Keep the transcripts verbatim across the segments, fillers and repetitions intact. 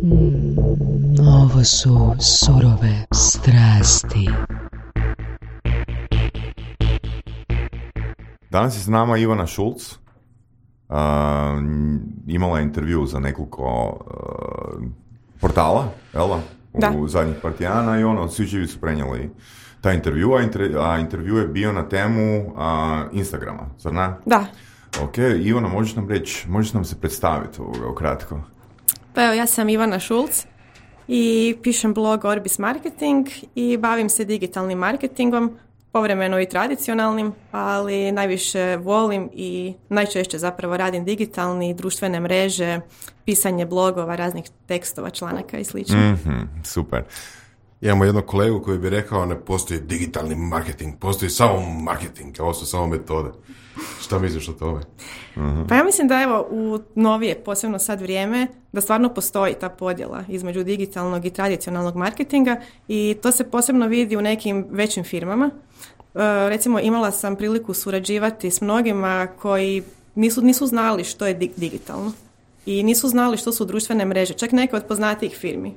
Mm, ovo su surove strasti. Danas je s nama Ivana Šulc. Uh, imala je intervju za nekoliko uh, portala, jel' da? U zadnjih par tjedana i ono, svi živi su prenijeli taj intervju, a, inter, a intervju je bio na temu uh, Instagrama, zar ne? Da. Ok, Ivana, možeš nam reći, možeš nam se predstaviti ovoga ukratko? Pa evo, ja sam Ivana Šulc i pišem blog Orbis Marketing i bavim se digitalnim marketingom, povremeno i tradicionalnim, ali najviše volim i najčešće zapravo radim digitalni, društvene mreže, pisanje blogova, raznih tekstova, članaka i slično. Mm-hmm, super. Imamo jednog kolegu koji bi rekao ne postoji digitalni marketing, postoji samo marketing, ovo su samo metode. Šta misliš o tome? Uh-huh. Pa ja mislim da evo u novije, posebno sad vrijeme, da stvarno postoji ta podjela između digitalnog i tradicionalnog marketinga i to se posebno vidi u nekim većim firmama. Uh, recimo imala sam priliku surađivati s mnogima koji nisu, nisu znali što je di- digitalno i nisu znali što su društvene mreže, čak neke od poznatijih firmi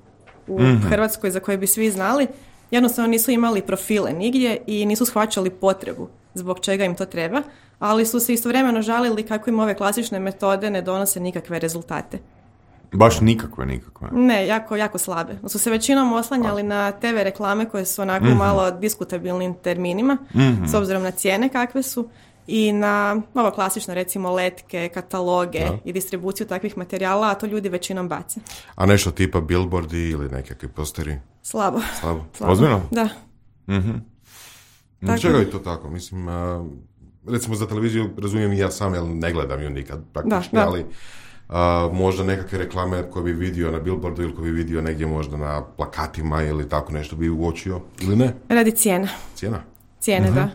u mm-hmm. Hrvatskoj za koje bi svi znali, jednostavno nisu imali profile nigdje i nisu shvaćali potrebu zbog čega im to treba, ali su se istovremeno žalili kako im ove klasične metode ne donose nikakve rezultate. Baš nikakve, nikakve? Ne, jako, jako slabe. Su se većinom oslanjali na te ve reklame koje su onako mm-hmm. malo diskutabilnim terminima, mm-hmm. s obzirom na cijene kakve su, i na ovo klasično, recimo, letke, kataloge da. I distribuciju takvih materijala, a to ljudi većinom bace. A nešto tipa billboardi ili nekakvi posteri? Slabo. Slabo. Slabo. Ozbiljno? Da. Mm-hmm. Tako. Čega je to tako? Mislim, uh, recimo za televiziju razumijem i ja sam, jer ne gledam ju nikad praktički, da, da. ali uh, možda nekakve reklame koje bi vidio na billboardu ili koje bi vidio negdje možda na plakatima ili tako nešto bi uočio, ili ne? Radi cijena. Cijena? Cijene, uh-huh. da.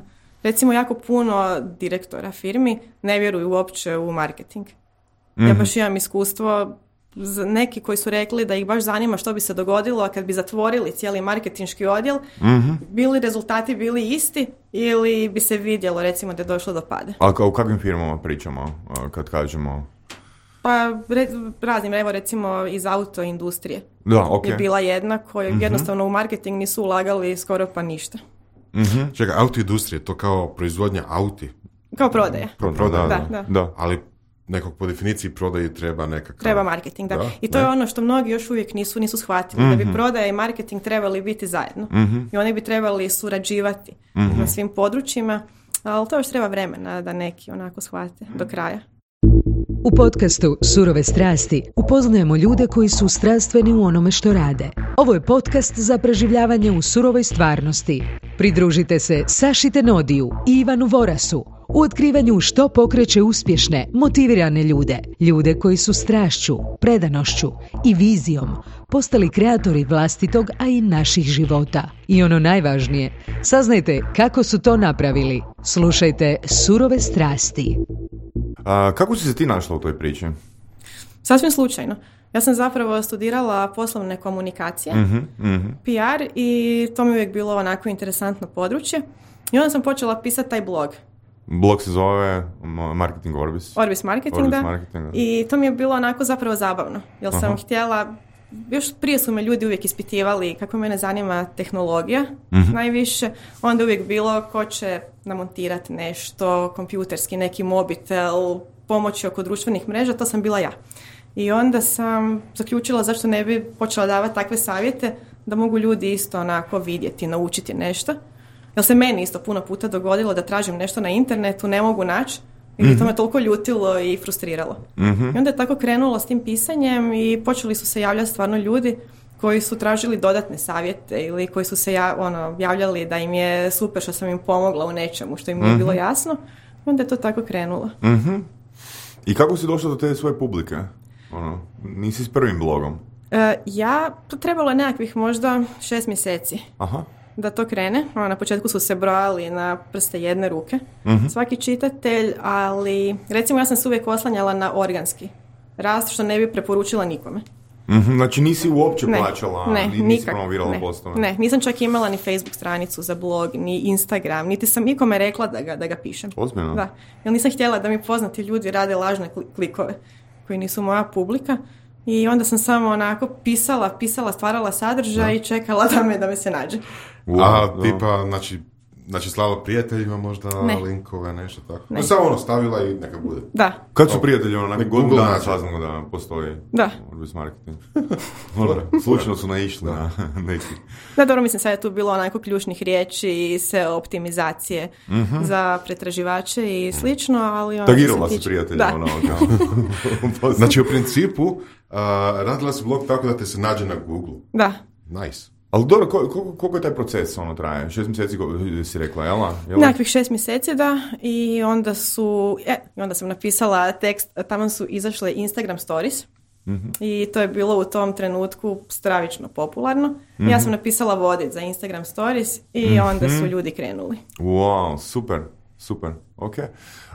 Recimo, jako puno direktora firmi ne vjeruju uopće u marketing. Mm-hmm. Ja baš imam iskustvo, neki koji su rekli da ih baš zanima što bi se dogodilo, a kad bi zatvorili cijeli marketinški odjel, mm-hmm. bili rezultati bili isti ili bi se vidjelo, recimo, da je došlo do pada. A o kakvim firmama pričamo kad kažemo? Pa re, raznim, evo recimo iz autoindustrije. Da, okay. Je bila jedna koja mm-hmm. jednostavno u marketing nisu ulagali skoro pa ništa. Mm-hmm. Čekaj, autoindustrije, to kao proizvodnja auti? Kao prodaja. Pro, prodaja, da, da. da. da. Ali nekog po definiciji prodaji treba nekakav... Treba marketing, da. da? I to ne? je ono što mnogi još uvijek nisu, nisu shvatili, mm-hmm. da bi prodaja i marketing trebali biti zajedno. Mm-hmm. I oni bi trebali surađivati mm-hmm. na svim područjima, ali to još treba vremena da neki onako shvate do kraja. U podcastu Surove strasti upoznajemo ljude koji su strastveni u onome što rade. Ovo je podcast za preživljavanje u surovoj stvarnosti. Pridružite se Saši Tenodiju i Ivanu Vorasu u otkrivanju što pokreće uspješne, motivirane ljude. Ljude koji su strašću, predanošću i vizijom postali kreatori vlastitog, a i naših života. I ono najvažnije, saznajte kako su to napravili. Slušajte Surove strasti. A, kako si se ti našla u toj priči? Sasvim slučajno. Ja sam zapravo studirala poslovne komunikacije, mm-hmm, mm-hmm. P R, i to mi uvijek bilo onako interesantno područje. I onda sam počela pisati taj blog. Blog se zove Marketing Orbis. Orbis Marketing, Orbis da. Marketing, da. I to mi je bilo onako zapravo zabavno. Jer sam uh-huh. htjela, još prije su me ljudi uvijek ispitivali kako mene zanima tehnologija uh-huh. najviše. Onda uvijek bilo ko će namontirati nešto, kompjuterski, neki mobitel, pomoći oko društvenih mreža, to sam bila ja. I onda sam zaključila zašto ne bi počela davati takve savjete da mogu ljudi isto onako vidjeti, naučiti nešto. Jer se meni isto puno puta dogodilo da tražim nešto na internetu, ne mogu naći i mm-hmm. to me toliko ljutilo i frustriralo. Mm-hmm. I onda je tako krenulo s tim pisanjem i počeli su se javljati stvarno ljudi koji su tražili dodatne savjete ili koji su se ja, ono, javljali da im je super što sam im pomogla u nečemu što im nije mm-hmm. bilo jasno. I onda je to tako krenulo. Mm-hmm. I kako si došla do te svoje publike? Ono, nisi s prvim blogom? Uh, ja, to trebalo je nekakvih možda šest mjeseci. Aha. Da to krene. Na početku su se brojali na prste jedne ruke. Mm-hmm. Svaki čitatelj, ali recimo ja sam se uvijek oslanjala na organski rast, što ne bi preporučila nikome. Mm-hmm. Znači nisi uopće ne, plaćala, ne, nisi nikak, promovirala ne, postove? Ne, nisam čak imala ni Facebook stranicu za blog, ni Instagram, niti sam nikome rekla da ga, da ga pišem. Ozbiljno? Da, jer nisam htjela da mi poznati ljudi rade lažne klikove koji nisu moja publika. I onda sam samo onako pisala, pisala, stvarala sadržaj i čekala da me, da me se nađe. Wow, a, tipa, znači, znači slava prijateljima možda ne. linkove, nešto tako. Ne. No, samo ono stavila i neka bude. Da. Kad su prijatelji, ono, nakon godinu dana saznamo da postoji da. Orbis Marketing. Slučajno su naišli da. na neki. Da, dobro, mislim, sad je tu bilo onako ključnih riječi i sve optimizacije mm-hmm. za pretraživače i slično, ali... Tagirala si prijatelja, ono, kao. Znači, u principu, uh, radila si blog tako da te se nađe na Google. Da. Nice. Ali dobro, koliko, koliko je taj proces ono traje? Šest mjeseci si rekla, jel? jel? Nekakvih šest mjeseci, da. I onda su, e, onda sam napisala tekst, tamo su izašle Instagram stories. Mm-hmm. I to je bilo u tom trenutku stravično popularno. Mm-hmm. Ja sam napisala vodič za Instagram stories i mm-hmm. onda su ljudi krenuli. Wow, super, super, ok.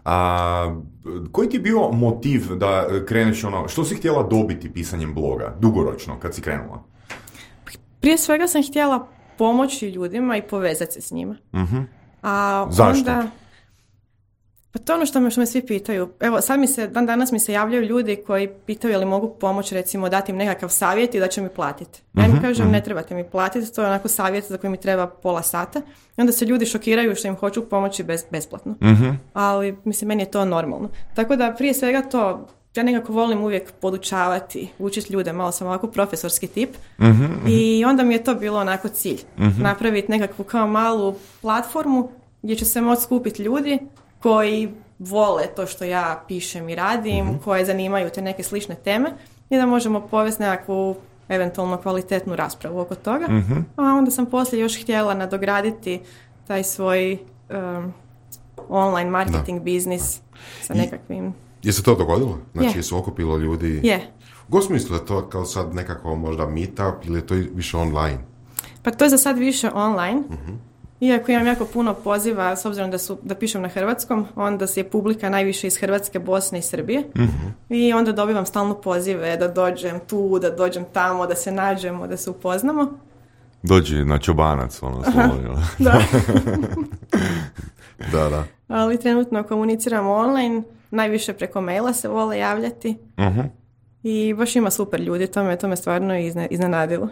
A, koji ti je bio motiv da kreneš ono, što si htjela dobiti pisanjem bloga, dugoročno, kad si krenula? Prije svega sam htjela pomoći ljudima i povezati se s njima. Mm-hmm. A Zašto? Onda, pa to ono što me, što me svi pitaju. Evo, sad mi se, dan danas mi se javljaju ljudi koji pitaju je li mogu pomoći, recimo, dati im nekakav savjet i da će mi platiti. Ja im mm-hmm. kažem, ne trebate mi platiti, to je onako savjet za koji mi treba pola sata. I onda se ljudi šokiraju što im hoću pomoći bez, besplatno. Mm-hmm. Ali, mislim, meni je to normalno. Tako da, prije svega to... Ja nekako volim uvijek podučavati, učiti ljude, malo sam ovako profesorski tip. Mm-hmm. I onda mi je to bilo onako cilj. Mm-hmm. Napraviti nekakvu kao malu platformu gdje će se moći skupiti ljudi koji vole to što ja pišem i radim, mm-hmm. koje zanimaju te neke slične teme i da možemo povesti nekakvu eventualno kvalitetnu raspravu oko toga. Mm-hmm. A onda sam poslije još htjela nadograditi taj svoj um, online marketing da. biznis sa nekakvim... Je se to dogodilo? Znači, je se okupilo ljudi? Je. U kom smislu je to kao sad nekako možda meetup ili je to više online? Pa to je za sad više online. Uh-huh. Iako imam jako puno poziva, s obzirom da, su, da pišem na hrvatskom, onda je publika najviše iz Hrvatske, Bosne i Srbije. Uh-huh. I onda dobivam stalno pozive da dođem tu, da dođem tamo, da se nađemo, da se upoznamo. Dođi na čobanac, ono, slovno. Da. da, da. Ali trenutno komuniciramo online, najviše preko maila se vole javljati. Uh-huh. I baš ima super ljudi, to me, to me stvarno izne, iznenadilo.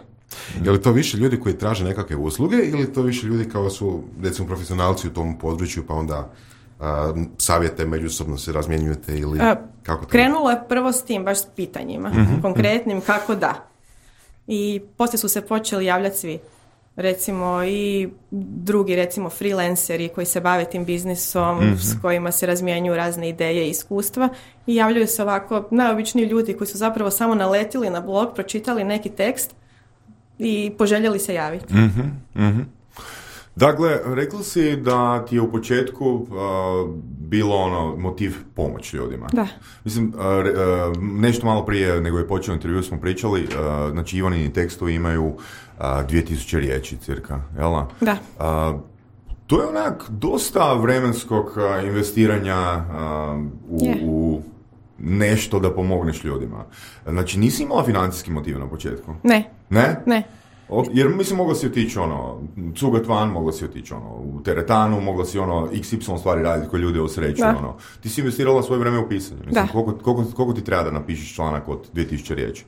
Je li to više ljudi koji traže nekakve usluge ili to više ljudi kao su, recimo, profesionalci u tom području pa onda a, savjete međusobno se razmjenjujete ili a, kako to? Krenulo je prvo s tim, baš s pitanjima, uh-huh. konkretnim kako da. I poslije su se počeli javljati svi. Recimo i drugi, recimo freelanceri koji se bave tim biznisom, mm-hmm. s kojima se razmjenjuju razne ideje i iskustva i javljaju se ovako najobičniji ljudi koji su zapravo samo naletili na blog, pročitali neki tekst i poželjeli se javiti. Mm-hmm. Mm-hmm. Dakle, rekla si da ti je u početku uh, bilo ono motiv pomoć ljudima. Da. Mislim, uh, uh, nešto malo prije nego je počeo intervju smo pričali, uh, znači Ivanini tekstovi imaju uh, dvije tisuće riječi cirka, jel? Da. Uh, to je onak dosta vremenskog uh, investiranja uh, u, yeah. u nešto da pomogneš ljudima. Znači, nisi imala financijski motiv na početku? Ne. Ne? Ne. Jer mislim, mogla si otići ono, cugat van, mogla si otići ono, u teretanu, mogla si ono, iks ipsilon stvari raditi koje ljude osreću, ono. Ti si investirala svoje vrijeme u pisanje. Mislim, koliko, koliko, koliko ti treba da napišeš članak od dvije tisuće riječi?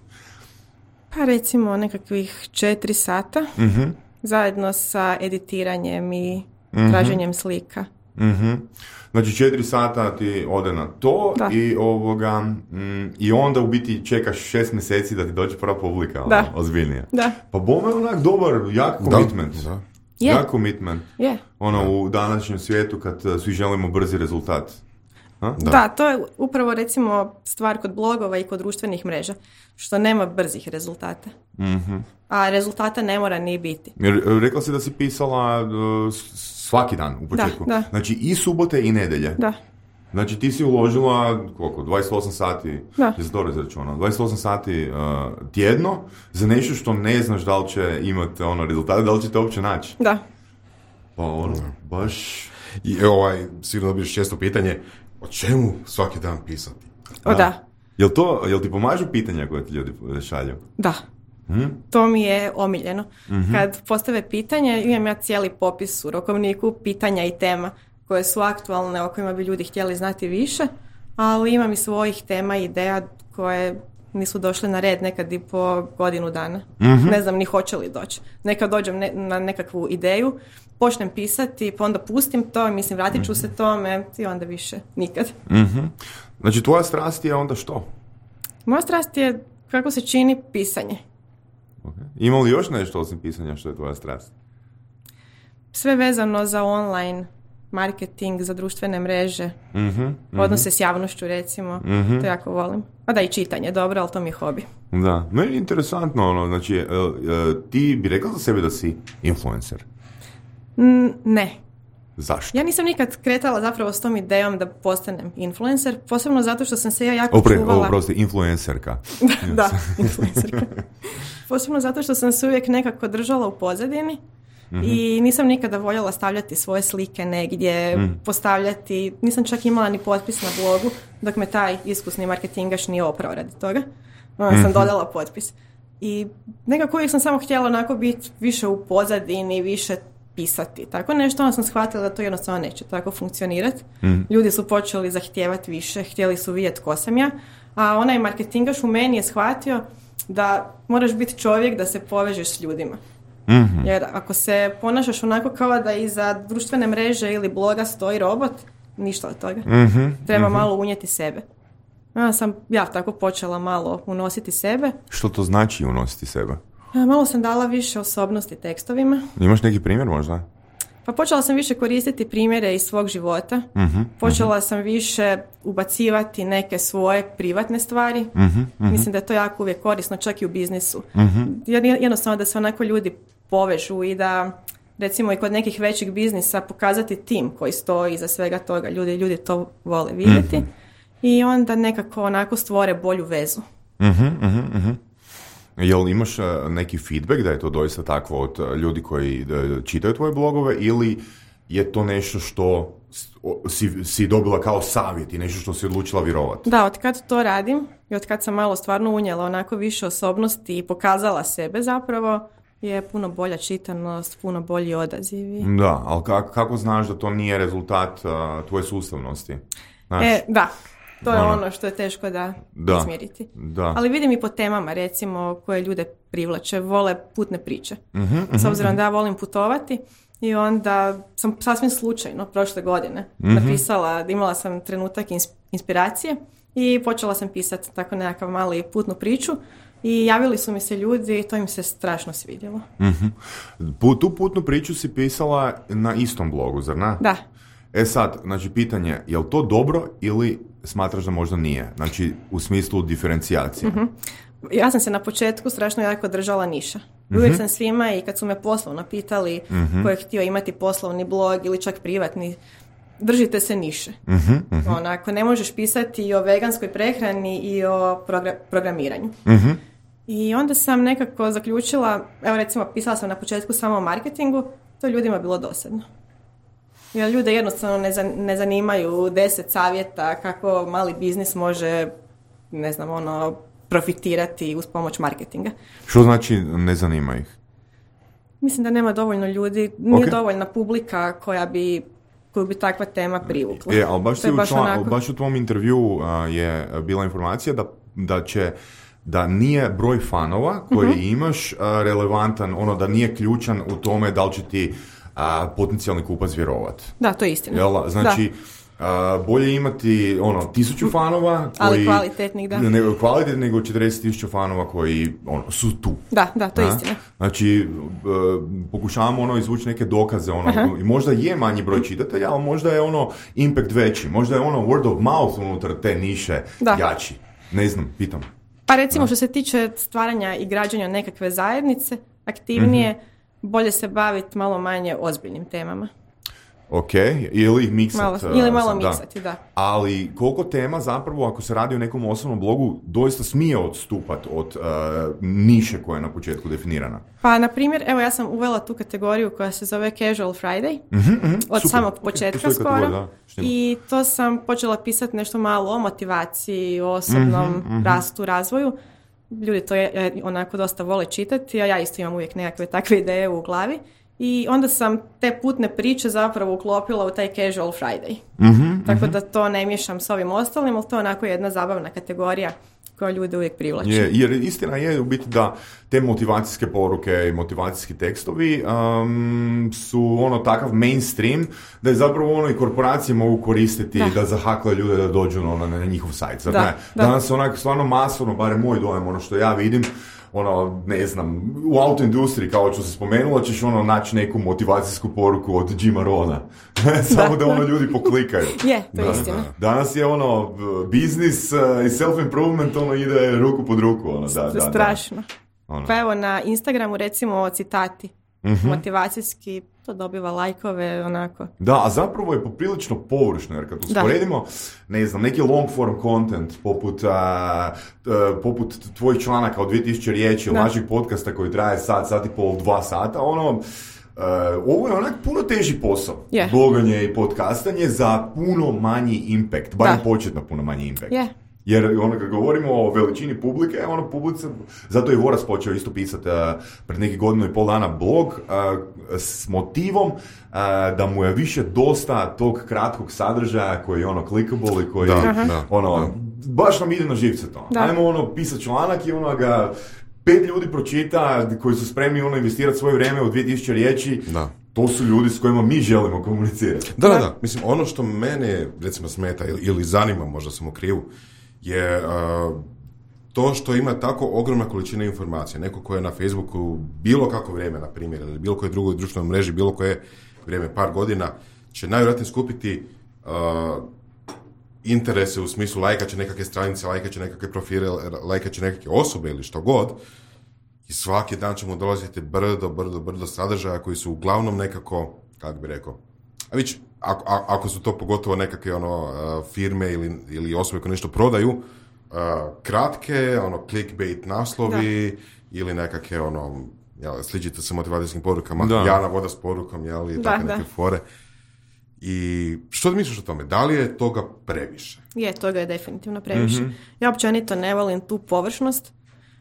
Pa recimo nekakvih četiri sata, mm-hmm. zajedno sa editiranjem i mm-hmm. traženjem slika. Mm-hmm. Znači četiri sata ti ode na to da. i ovoga mm, i onda u biti čekaš šest mjeseci da ti dođe prva publika, ono, ozbiljnije. Da. Pa bome je onak dobar, jak commitment. Da. Yeah. Jak commitment. Yeah. Ono yeah. u današnjem svijetu kad uh, svi želimo brzi rezultat. Da. da, to je upravo recimo stvar kod blogova i kod društvenih mreža, što nema brzih rezultata. Mm-hmm. A rezultata ne mora ni biti. Jer rekla si da si pisala uh, svaki dan u početku. Da, da. Znači i subote i nedjelje. Da. Znači ti si uložila koliko, dvadeset osam sati, da. je se dobro izračunao, dvadeset osam sati uh, tjedno za nešto što ne znaš da li će imati ono rezultate, da li će te uopće naći. Da. Pa ono, baš... I ovaj, sigurno dobiješ često pitanje, o čemu svaki dan pisati? O da. da. Jel to, jel ti pomažu pitanja koje ti ljudi šalju? Da. Hmm? To mi je omiljeno. Mm-hmm. Kad postave pitanje, imam ja cijeli popis u rokovniku pitanja i tema koje su aktualne, o kojima bi ljudi htjeli znati više, ali imam i svojih tema i ideja koje nisu došli na red, nekad i po godinu dana. Mm-hmm. Ne znam ni hoće li doći. Nekad dođem ne, na nekakvu ideju, počnem pisati, pa onda pustim to, mislim, vratit ću mm-hmm. se tome i onda više nikad. Mm-hmm. Znači, tvoja strast je onda što? Moja strast je kako se čini pisanje. Okay. Ima li još nešto osim pisanja što je tvoja strast? Sve vezano za online marketing, za društvene mreže, mm-hmm, mm-hmm. odnose s javnošću recimo, mm-hmm. to jako volim. A da, i čitanje, dobro, ali to mi je hobi. Da, meni je interesantno, ono, znači, uh, uh, ti bi rekla za sebe da si influencer? Mm, ne. Zašto? Ja nisam nikad kretala zapravo s tom idejom da postanem influencer, posebno zato što sam se ja jako Opre, čuvala... Oprosti, influencerka. da, da, influencerka. Posebno zato što sam se uvijek nekako držala u pozadini. Mm-hmm. I nisam nikada voljela stavljati svoje slike negdje, mm. postavljati, nisam čak imala ni potpis na blogu, dok me taj iskusni marketingaš nije oprao radi toga. Onda sam mm-hmm. dodala potpis. I nekako uvijek sam samo htjela onako biti više u pozadini, više pisati. Tako nešto, onda sam shvatila da to jednostavno neće tako funkcionirati. Mm. Ljudi su počeli zahtijevati više, htjeli su vidjeti ko sam ja, a onaj marketingaš u meni je shvatio da moraš biti čovjek da se povežeš s ljudima. Mm-hmm. Jer ako se ponašaš onako kao da iza društvene mreže ili bloga stoji robot, ništa od toga. Mm-hmm. Treba mm-hmm. malo unijeti sebe. Ja sam ja tako počela malo unositi sebe. Što to znači unositi sebe? Ja, malo sam dala više osobnosti tekstovima. Imaš neki primjer možda? Pa počela sam više koristiti primjere iz svog života. Mm-hmm. Počela sam više ubacivati neke svoje privatne stvari. Mm-hmm. Mm-hmm. Mislim da je to jako uvijek korisno, čak i u biznisu. Mm-hmm. Jednostavno da se onako ljudi povežu i da recimo i kod nekih većih biznisa pokazati tim koji stoji iza svega toga. Ljudi, ljudi to vole vidjeti. Mm-hmm. I onda nekako onako stvore bolju vezu. Mhm, mhm, mhm. Jel imaš neki feedback da je to doista takvo od ljudi koji čitaju tvoje blogove ili je to nešto što si, si dobila kao savjet i nešto što si odlučila vjerovati? Da, od kad to radim i od kad sam malo stvarno unijela onako više osobnosti i pokazala sebe zapravo, je puno bolja čitanost, puno bolji odazivi. Da, ali kako, kako znaš da to nije rezultat uh, tvoje sustavnosti? Znaš? E, da. To je ono što je teško da, da izmjeriti. Da. Ali vidim i po temama, recimo, koje ljude privlače, vole putne priče. Mm-hmm, S obzirom mm-hmm. da ja volim putovati i onda sam sasvim slučajno prošle godine mm-hmm. napisala, imala sam trenutak inspiracije i počela sam pisati tako nekakav mali putnu priču i javili su mi se ljudi i to im se strašno svidjelo. Mm-hmm. Tu putnu priču si pisala na istom blogu, zar ne? Da. E sad, znači pitanje, je li to dobro ili smatraš da možda nije? Znači, u smislu diferencijacije. Mm-hmm. Ja sam se na početku strašno jako držala niša. Mm-hmm. Uvijek sam svima i kad su me poslovno pitali mm-hmm. ko je htio imati poslovni blog ili čak privatni, držite se niše. Mm-hmm. Mm-hmm. Onako, ne možeš pisati i o veganskoj prehrani i o progra- programiranju. Mm-hmm. I onda sam nekako zaključila, evo recimo pisala sam na početku samo o marketingu, to ljudima bilo dosadno. Jer ljude jednostavno ne, zan, ne zanimaju deset savjeta kako mali biznis može, ne znam, ono, profitirati uz pomoć marketinga. Što znači ne zanima ih? Mislim da nema dovoljno ljudi, nije okay. dovoljna publika koja bi, koju bi takva tema privukla. E, ali baš, baš, u tva, onako... baš u tvom intervju uh, je bila informacija da, da će da nije broj fanova koji mm-hmm. imaš uh, relevantan, ono da nije ključan u tome da li će ti a potencijalni kupac vjerovat. Da, to je istina. Jel, znači, a, bolje imati ono, tisuću fanova koji... Ali kvalitetnih, da. Ne, kvalitetnih nego četrdeset tisuća fanova koji ono, su tu. Da, da, to je istina. Znači, uh, pokušavamo ono, izvući neke dokaze. Ono, uh-huh. možda je manji broj čitatelja, ali možda je ono impact veći. Možda je ono word of mouth unutar te niše da. jači. Ne znam, pitam. Pa recimo, da. što se tiče stvaranja i građanja nekakve zajednice, aktivnije, uh-huh. bolje se baviti malo manje ozbiljnim temama. Ok, ili ih miksati. Ili malo miksati, da. da. Ali koliko tema zapravo, ako se radi o nekom osobnom blogu, doista smije odstupati od uh, niše koja je na početku definirana? Pa, na primjer, evo ja sam uvela tu kategoriju koja se zove Casual Friday, mm-hmm, mm-hmm, od super. samog početka okay, skoro. Da, I to sam počela pisati nešto malo o motivaciji, o osobnom mm-hmm, mm-hmm. rastu, razvoju. Ljudi to je, onako dosta vole čitati, a ja isto imam uvijek nekakve takve ideje u glavi. I onda sam te putne priče zapravo uklopila u taj Casual Friday. Mm-hmm, Tako mm-hmm. da to ne miješam s ovim ostalim, ali to je onako jedna zabavna kategorija koja ljude uvijek privlači. Je, jer istina je u biti da te motivacijske poruke i motivacijski tekstovi um, su ono takav mainstream da je zapravo ono i korporacije mogu koristiti da, da zahaklaju ljude da dođu ono, na njihov sajt. Zar da, ne? Da. Danas onak stvarno masovno, barem moj dojam, ono što ja vidim, ono, ne znam, u autoindustriji, kao što se spomenula, ćeš ono naći neku motivacijsku poruku od Jima Rona. Samo da, da ono ljudi poklikaju. Je, to je istina. Danas je ono, biznis uh, i self-improvement, ono ide ruku pod ruku. Ono, da, da, strašno. Da. Ono. Pa evo, na Instagramu recimo citati. Uh-huh. Motivacijski, to dobiva lajkove, onako. Da, a zapravo je poprilično površno, jer kad usporedimo, ne znam, neki long form content, poput, uh, uh, poput tvojih članaka od dvije tisuće riječi, ili naših podcasta koji traje sat, sat i pol, dva sata, ono, uh, ovo je onak puno teži posao. Yeah. Bloganje i podcastanje za puno manji impact, barem početno puno manji impact. Yeah. Jer ono, kad govorimo o veličini publike, ono publice, zato je Voras počeo isto pisati uh, pred neki godinu i pol dana blog uh, s motivom uh, da mu je više dosta tog kratkog sadržaja koji je ono clickable i koji da, da, ono, da. baš nam ide na živce to. Da. Ajmo ono pisati članak i ono ga pet ljudi pročita koji su spremni ono investirati svoje vrijeme u dvije tisuće riječi. Da. To su ljudi s kojima mi želimo komunicirati. Da, da, da. Mislim, ono što mene recimo smeta ili, ili zanima, možda sam u krivu, je uh, to što ima tako ogromna količina informacija. Neko ko je na Facebooku bilo kako vrijeme, na primjer, ili bilo koje drugoj društvenoj mreži, bilo koje vrijeme, par godina, će najvjerojatnije skupiti uh, interese u smislu lajka će nekakve stranice, lajka će nekakve profile, lajka će nekakve osobe ili što god. I svaki dan će mu dolaziti brdo, brdo, brdo sadržaja koji su uglavnom nekako, kako bi rekao, a vić, ako, ako su to pogotovo nekakve ono, uh, firme ili, ili osobe koje nešto prodaju, uh, kratke, ono, clickbait naslovi da. Ili nekakve ono, jel, sličite sa motivacijskim porukama, da. Jana voda s porukom, jel, i takve neke fore. I što misliš o tome? Da li je toga previše? Je, toga je definitivno previše. Mm-hmm. Ja općenito ne volim tu površnost.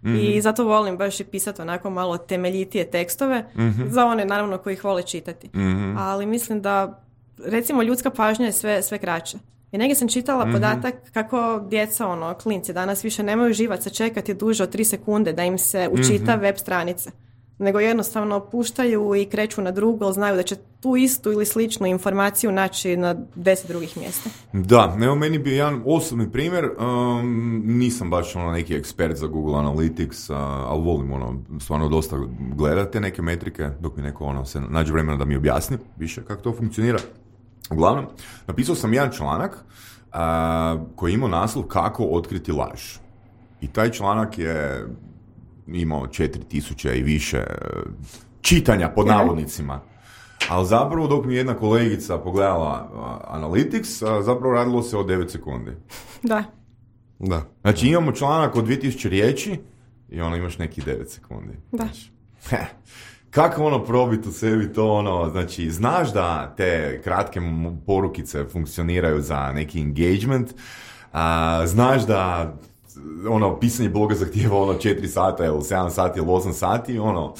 Mm-hmm. I zato volim baš i pisati onako malo temeljitije tekstove mm-hmm. za one naravno koji ih vole čitati. Mm-hmm. Ali mislim da recimo ljudska pažnja je sve, sve kraća. I negdje sam čitala mm-hmm. podatak kako djeca, ono, klinci danas više nemaju živaca čekati duže od tri sekunde da im se učita mm-hmm. web stranice. Nego jednostavno puštaju i kreću na drugo, znaju da će tu istu ili sličnu informaciju naći na deset drugih mjesta. Da, evo meni bi jedan osobni primjer, um, nisam baš ono neki ekspert za Google Analytics, uh, ali volim ono, stvarno dosta gledati neke metrike, dok mi neko ono, se nađe vremena da mi objasni više kako to funkcionira. Uglavnom, napisao sam jedan članak uh, koji ima naslov kako otkriti laž. I taj članak je imao četiri tisuće i više čitanja pod navodnicima. Ali zapravo dok mi jedna kolegica pogledala uh, Analytics, uh, zapravo radilo se o devet sekundi. Da. Da. Znači imamo članak od dvije tisuće riječi i ono imaš neki devet sekundi. Da. Znači, kako ono probiti u sebi to ono, znači znaš da te kratke porukice funkcioniraju za neki engagement, uh, znaš da ono, pisanje bloga zahtijeva ono četiri sata ili sedam sati ili osam sati, ono,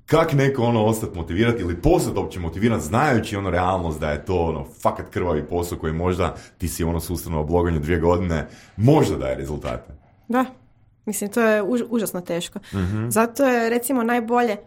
kak neko ono ostati motivirati ili postati uopće motiviran znajući ono realnost da je to ono fakat krvavi posao koji možda ti si ono sustavno o bloganju dvije godine možda daje rezultate. Da, mislim to je už, užasno teško. Mm-hmm. Zato je recimo najbolje,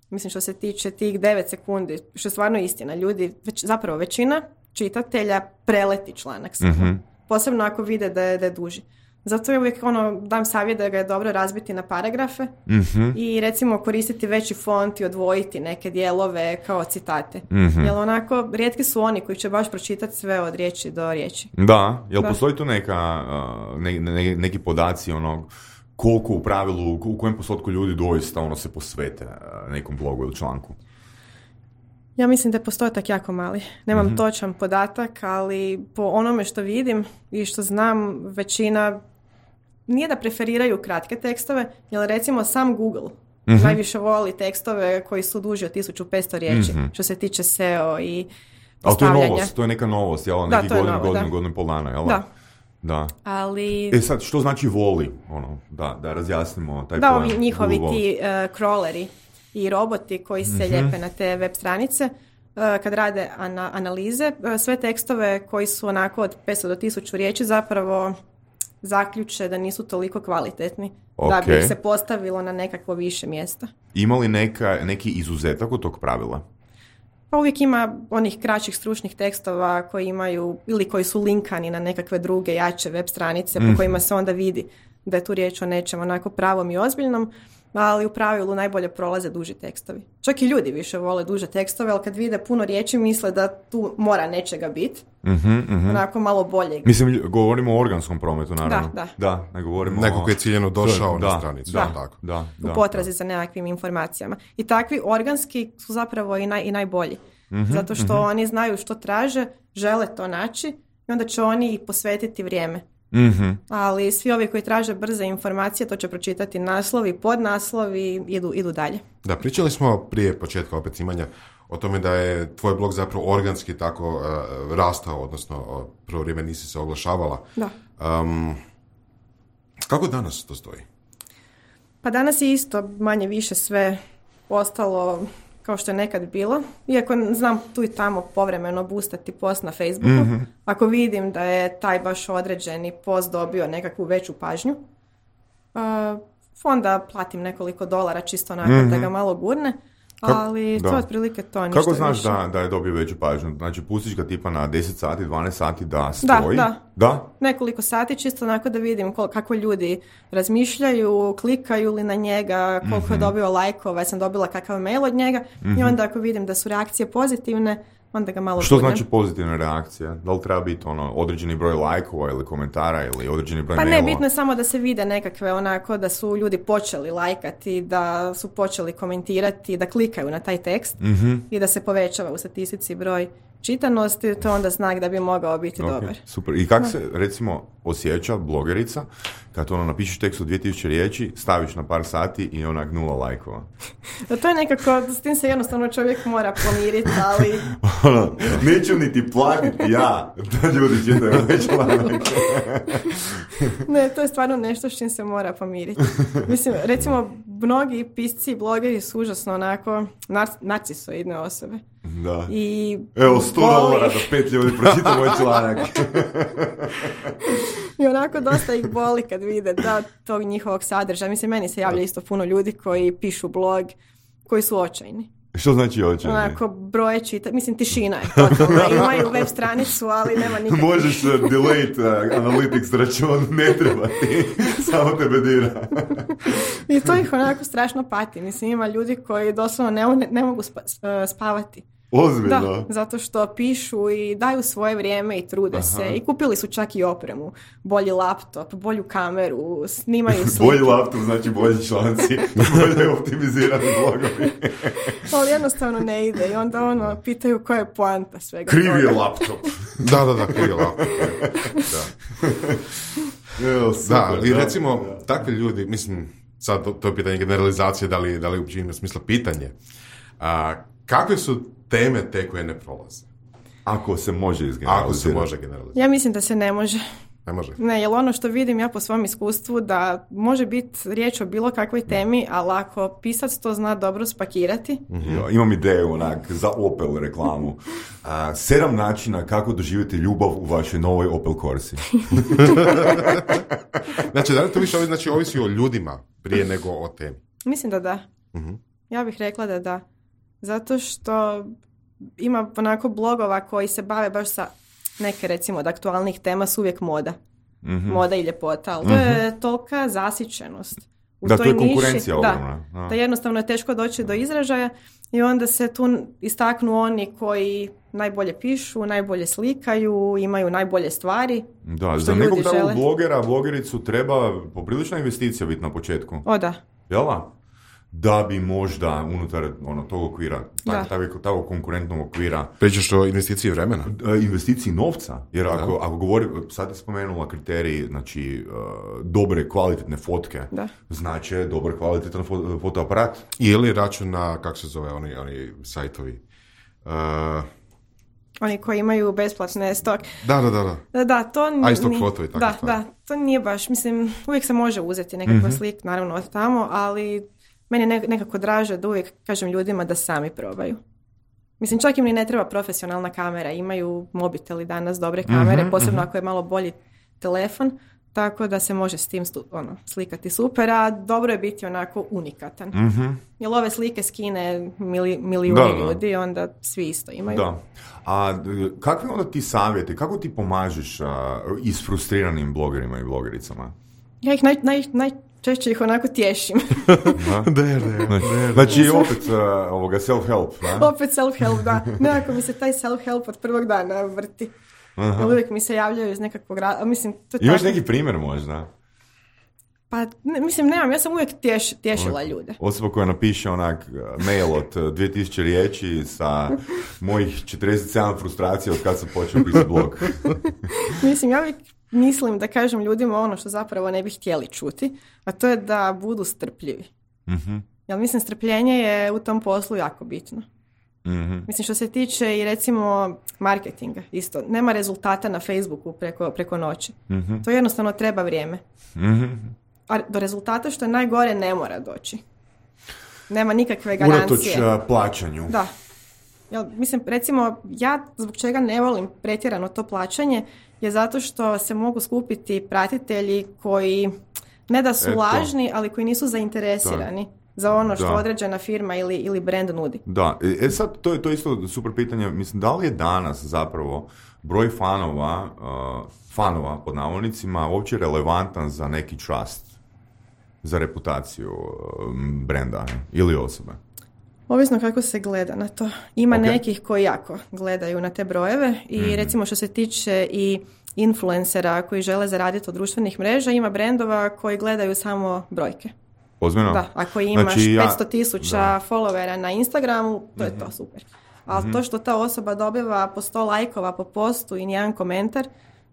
mislim što se tiče tih devet sekundi, što je stvarno istina, ljudi, već, zapravo većina čitatelja preleti članak samo. Mm-hmm. Posebno ako vide da je, da je duži. Zato je uvijek ono, dam savjet da ga je dobro razbiti na paragrafe mm-hmm. i recimo koristiti veći font i odvojiti neke dijelove kao citate. Mm-hmm. Jer onako, rijetki su oni koji će baš pročitati sve od riječi do riječi. Da, jel da. Postoji tu neka, ne, ne, neki podaci onog koliko u pravilu, u kojem postotku ljudi doista ono se posvete nekom blogu ili članku? Ja mislim da je postotak jako mali. Nemam mm-hmm. točan podatak, ali po onome što vidim i što znam, većina nije da preferiraju kratke tekstove, jer recimo sam Google mm-hmm. najviše voli tekstove koji su duži od tisuću petsto riječi, mm-hmm. što se tiče S E O i postavljanja. Ali to je novost, to je neka novost, jel? Da, neki godinu, godinu, godinu i pol dana, jel? Da. Da. Ali... E sad, što znači voli? Ono, da, da razjasnimo taj da, pojam. Da, njihovi ti uh, crawleri i roboti koji se mm-hmm. lijepe na te web stranice, uh, kad rade ana- analize, uh, sve tekstove koji su onako od petsto do tisuću riječi zapravo zaključe da nisu toliko kvalitetni okay. da bi ih se postavilo na nekakvo više mjesta. Ima li neka, neki izuzetak od tog pravila? Pa uvijek ima onih kraćih stručnih tekstova koji imaju ili koji su linkani na nekakve druge jače web stranice mm. po kojima se onda vidi da je tu riječ o nečem onako pravom i ozbiljnom, ali u pravilu najbolje prolaze duži tekstovi. Čak i ljudi više vole duže tekstove, ali kad vide puno riječi misle da tu mora nečega biti. Mm-hmm, mm-hmm. Onako malo bolje. Mislim, govorimo o organskom prometu, naravno. Da, da. da ne govorimo Neko koji je ciljeno došao da, na stranicu. Da, tako. Da, da, u potrazi da. za nekakvim informacijama. I takvi organski su zapravo i, naj, i najbolji. Mm-hmm, zato što mm-hmm. oni znaju što traže, žele to naći i onda će oni i posvetiti vrijeme. Mm-hmm. Ali svi ovi koji traže brze informacije, to će pročitati naslovi, podnaslovi, idu, idu dalje. Da, pričali smo prije početka opet snimanja o tome da je tvoj blog zapravo organski tako uh, rastao, odnosno uh, prvo vrijeme nisi se oglašavala. Da. Um, kako danas to stoji? Pa danas je isto manje više sve ostalo kao što je nekad bilo. Iako znam tu i tamo povremeno boostati post na Facebooku. Mm-hmm. Ako vidim da je taj baš određeni post dobio nekakvu veću pažnju, uh, onda platim nekoliko dolara čisto onako mm-hmm. da ga malo gurne. Kako, ali to je otprilike to, ništa Kako znaš više. da, da je dobio veću pažnju? Znači, pustiš ga tipa na deset sati, dvanaest sati da stoji? Da, da. da? Nekoliko sati, čisto onako da vidim kol- kako ljudi razmišljaju, klikaju li na njega, koliko mm-hmm. je dobio lajkova, sam dobila kakav mail od njega mm-hmm. i onda ako vidim da su reakcije pozitivne, onda ga malo Što budem. znači pozitivna reakcija? Da li treba biti ono određeni broj lajkova ili komentara ili određeni broj pa mailova? Pa ne, bitno je samo da se vide nekakve onako da su ljudi počeli lajkati, da su počeli komentirati, da klikaju na taj tekst mm-hmm. i da se povećava u statistici broj čitanosti, to je onda znak da bi mogao biti okay, dobar. Super. I kako se recimo osjeća blogerica kad ono napišeš tekst od dvije tisuće riječi, staviš na par sati i onak nula lajkova? To je nekako, s tim se jednostavno čovjek mora pomiriti, ali... ono, neću niti platiti ja da ljudi čitaju ovaj članak. Ne, to je stvarno nešto s čim se mora pomiriti. Mislim, recimo, mnogi pisci i blogeri su užasno onako nar- narcisoidne osobe. Da. I evo, sto dolara da pet ljudi pročita moj članak. I onako dosta ih boli kad vide da tog njihovog sadržaja. Mislim, meni se javlja isto puno ljudi koji pišu blog, koji su očajni. Što znači očajni? Onako, broje čita, mislim, tišina je totalna. Imaju web stranicu, ali nema nikakve. Možeš uh, delete uh, analytics račun, ne treba ti, samo tebe dira. I to ih onako strašno pati. Mislim, ima ljudi koji doslovno ne, ne mogu spa, spavati. Ozbiljno? Da, zato što pišu i daju svoje vrijeme i trude Aha. se. I kupili su čak i opremu. Bolji laptop, bolju kameru, snimaju slike. Bolji laptop znači bolji članci, bolje optimizirani blogovi. Ali jednostavno ne ide i onda ono, pitaju koja je poanta svega. Krivi je laptop. da, da, da, krivi je laptop. Da. Evo, super, da, i da, recimo, da. takvi ljudi, mislim, sad to, to je pitanje generalizacije, da li, da li uopće ima smisla pitanje. A, kakve su teme te koje ne prolaze? Ako se može izgeneralizirati. Ako se može generalizirati. Ja mislim da se ne može. Ne može? Ne, jer ono što vidim ja po svom iskustvu da može biti riječ o bilo kakvoj temi, ali ako pisac to zna dobro spakirati. Mm-hmm. Ja, imam ideju onak za Opel reklamu. A, sedam načina kako doživjeti ljubav u vašoj novoj Opel Corsi. Znači, da li to više znači, ovisi o ljudima prije nego o temi? Mislim da da. Mm-hmm. Ja bih rekla da da. Zato što ima onako blogova koji se bave baš sa neke recimo od aktualnih tema su uvijek moda. Mm-hmm. Moda i ljepota. Ali mm-hmm. to je tolika zasićenost u da, toj to je niši. konkurencija Da, ogromna. da jednostavno je teško doći do izražaja i onda se tu istaknu oni koji najbolje pišu, najbolje slikaju, imaju najbolje stvari. Da, za nekog takvog blogera, blogericu treba poprilična investicija biti na početku. O da. Jel da? Da bi možda unutar ono, tog okvira, takvog konkurentnog okvira... Pričaš o investiciji vremena? Investiciji novca, jer ako, ako govori, sad je spomenula kriterij, znači, uh, dobre kvalitetne fotke, da. Znači dobar kvalitetan fo- fotoaparat. Ili račun na, kako se zove, oni, oni sajtovi... Uh, Oni koji imaju besplatne stok. Da, da, da. Da, da to nije... iStock foto i tako da, stvari. Da, to nije baš, mislim, uvijek se može uzeti nekakva mm-hmm. slik, naravno od tamo, ali meni je nekako draže da uvijek kažem ljudima da sami probaju. Mislim, čak im ni ne treba profesionalna kamera, imaju mobiteli danas, dobre kamere, mm-hmm, posebno mm-hmm. ako je malo bolji telefon, tako da se može s tim stu, ono, slikati super, a dobro je biti onako unikatan. Mm-hmm. Jer ove slike skine mili, milijuni da, da. ljudi, onda svi isto imaju. Da. A kakve onda ti savjeti, kako ti pomažeš a, isfrustriranim blogerima i blogericama? Ja ih naj, naj, najčešće ih onako tješim. da, da, da. Znači opet uh, ovoga self-help. Da? Opet self-help, da. Nekako mi se taj self-help od prvog dana vrti. Uh-huh. Uvijek mi se javljaju iz nekakvog rada. Mislim, to imaš tako... neki primjer možda? Pa, ne, mislim, nemam. Ja sam uvijek tješ, tješila ljude. Osoba koja napiše onak mail od dvije tisuće riječi sa mojih četrdeset sedam frustracija od kad sam počeo pisati blog. Mislim, ja uvijek mislim da kažem ljudima ono što zapravo ne bi htjeli čuti, a to je da budu strpljivi. Uh-huh. Jer mislim, strpljenje je u tom poslu jako bitno. Mm-hmm. Mislim, što se tiče i recimo marketinga, isto, nema rezultata na Facebooku preko, preko noći. Mm-hmm. To jednostavno treba vrijeme. Mm-hmm. A do rezultata, što je najgore, ne mora doći. Nema nikakve garancije. Unatoč uh, plaćanju. Da. Jel, mislim, recimo, ja zbog čega ne volim pretjerano to plaćanje je zato što se mogu skupiti pratitelji koji ne da su Eto. lažni, ali koji nisu zainteresirani. Da. Za ono što da. određena firma ili, ili brand nudi. Da, e sad, to je, to je isto super pitanje. Mislim, da li je danas zapravo broj fanova, uh, fanova pod navodnicima, uopće relevantan za neki trust, za reputaciju uh, brenda ili osobe? Ovisno kako se gleda na to. Ima okay. nekih koji jako gledaju na te brojeve i mm-hmm. recimo što se tiče i influencera koji žele zaraditi od društvenih mreža, ima brendova koji gledaju samo brojke. Ozbiljno? Da, ako imaš znači, ja, petsto tisuća followera na Instagramu, to je mm-hmm. to super. Ali mm-hmm. to što ta osoba dobiva po sto lajkova po postu i nijedan komentar,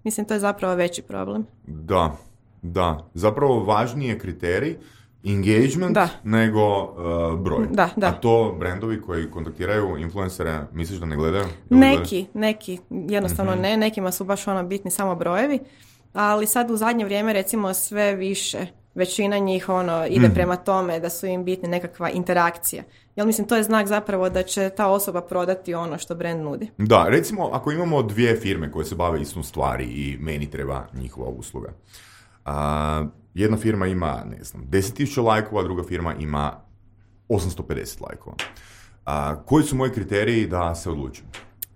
mislim, to je zapravo veći problem. Da, da. Zapravo važniji je kriterij engagement da. nego uh, broj. Da, da. A to brendovi koji kontaktiraju influencere, misliš da ne gledaju? Neki, gledaju? neki. Jednostavno mm-hmm. ne. Nekima su baš ono bitni samo brojevi. Ali sad u zadnje vrijeme recimo sve više većina njih ono ide mm. prema tome da su im bitni nekakva interakcija. Jel mislim, to je znak zapravo da će ta osoba prodati ono što brand nudi. Da, recimo ako imamo dvije firme koje se bave istom stvari i meni treba njihova usluga. Uh, jedna firma ima, ne znam, deset tisuća lajkova, druga firma ima osamsto pedeset lajkova. Uh, koji su moji kriteriji da se odlučim?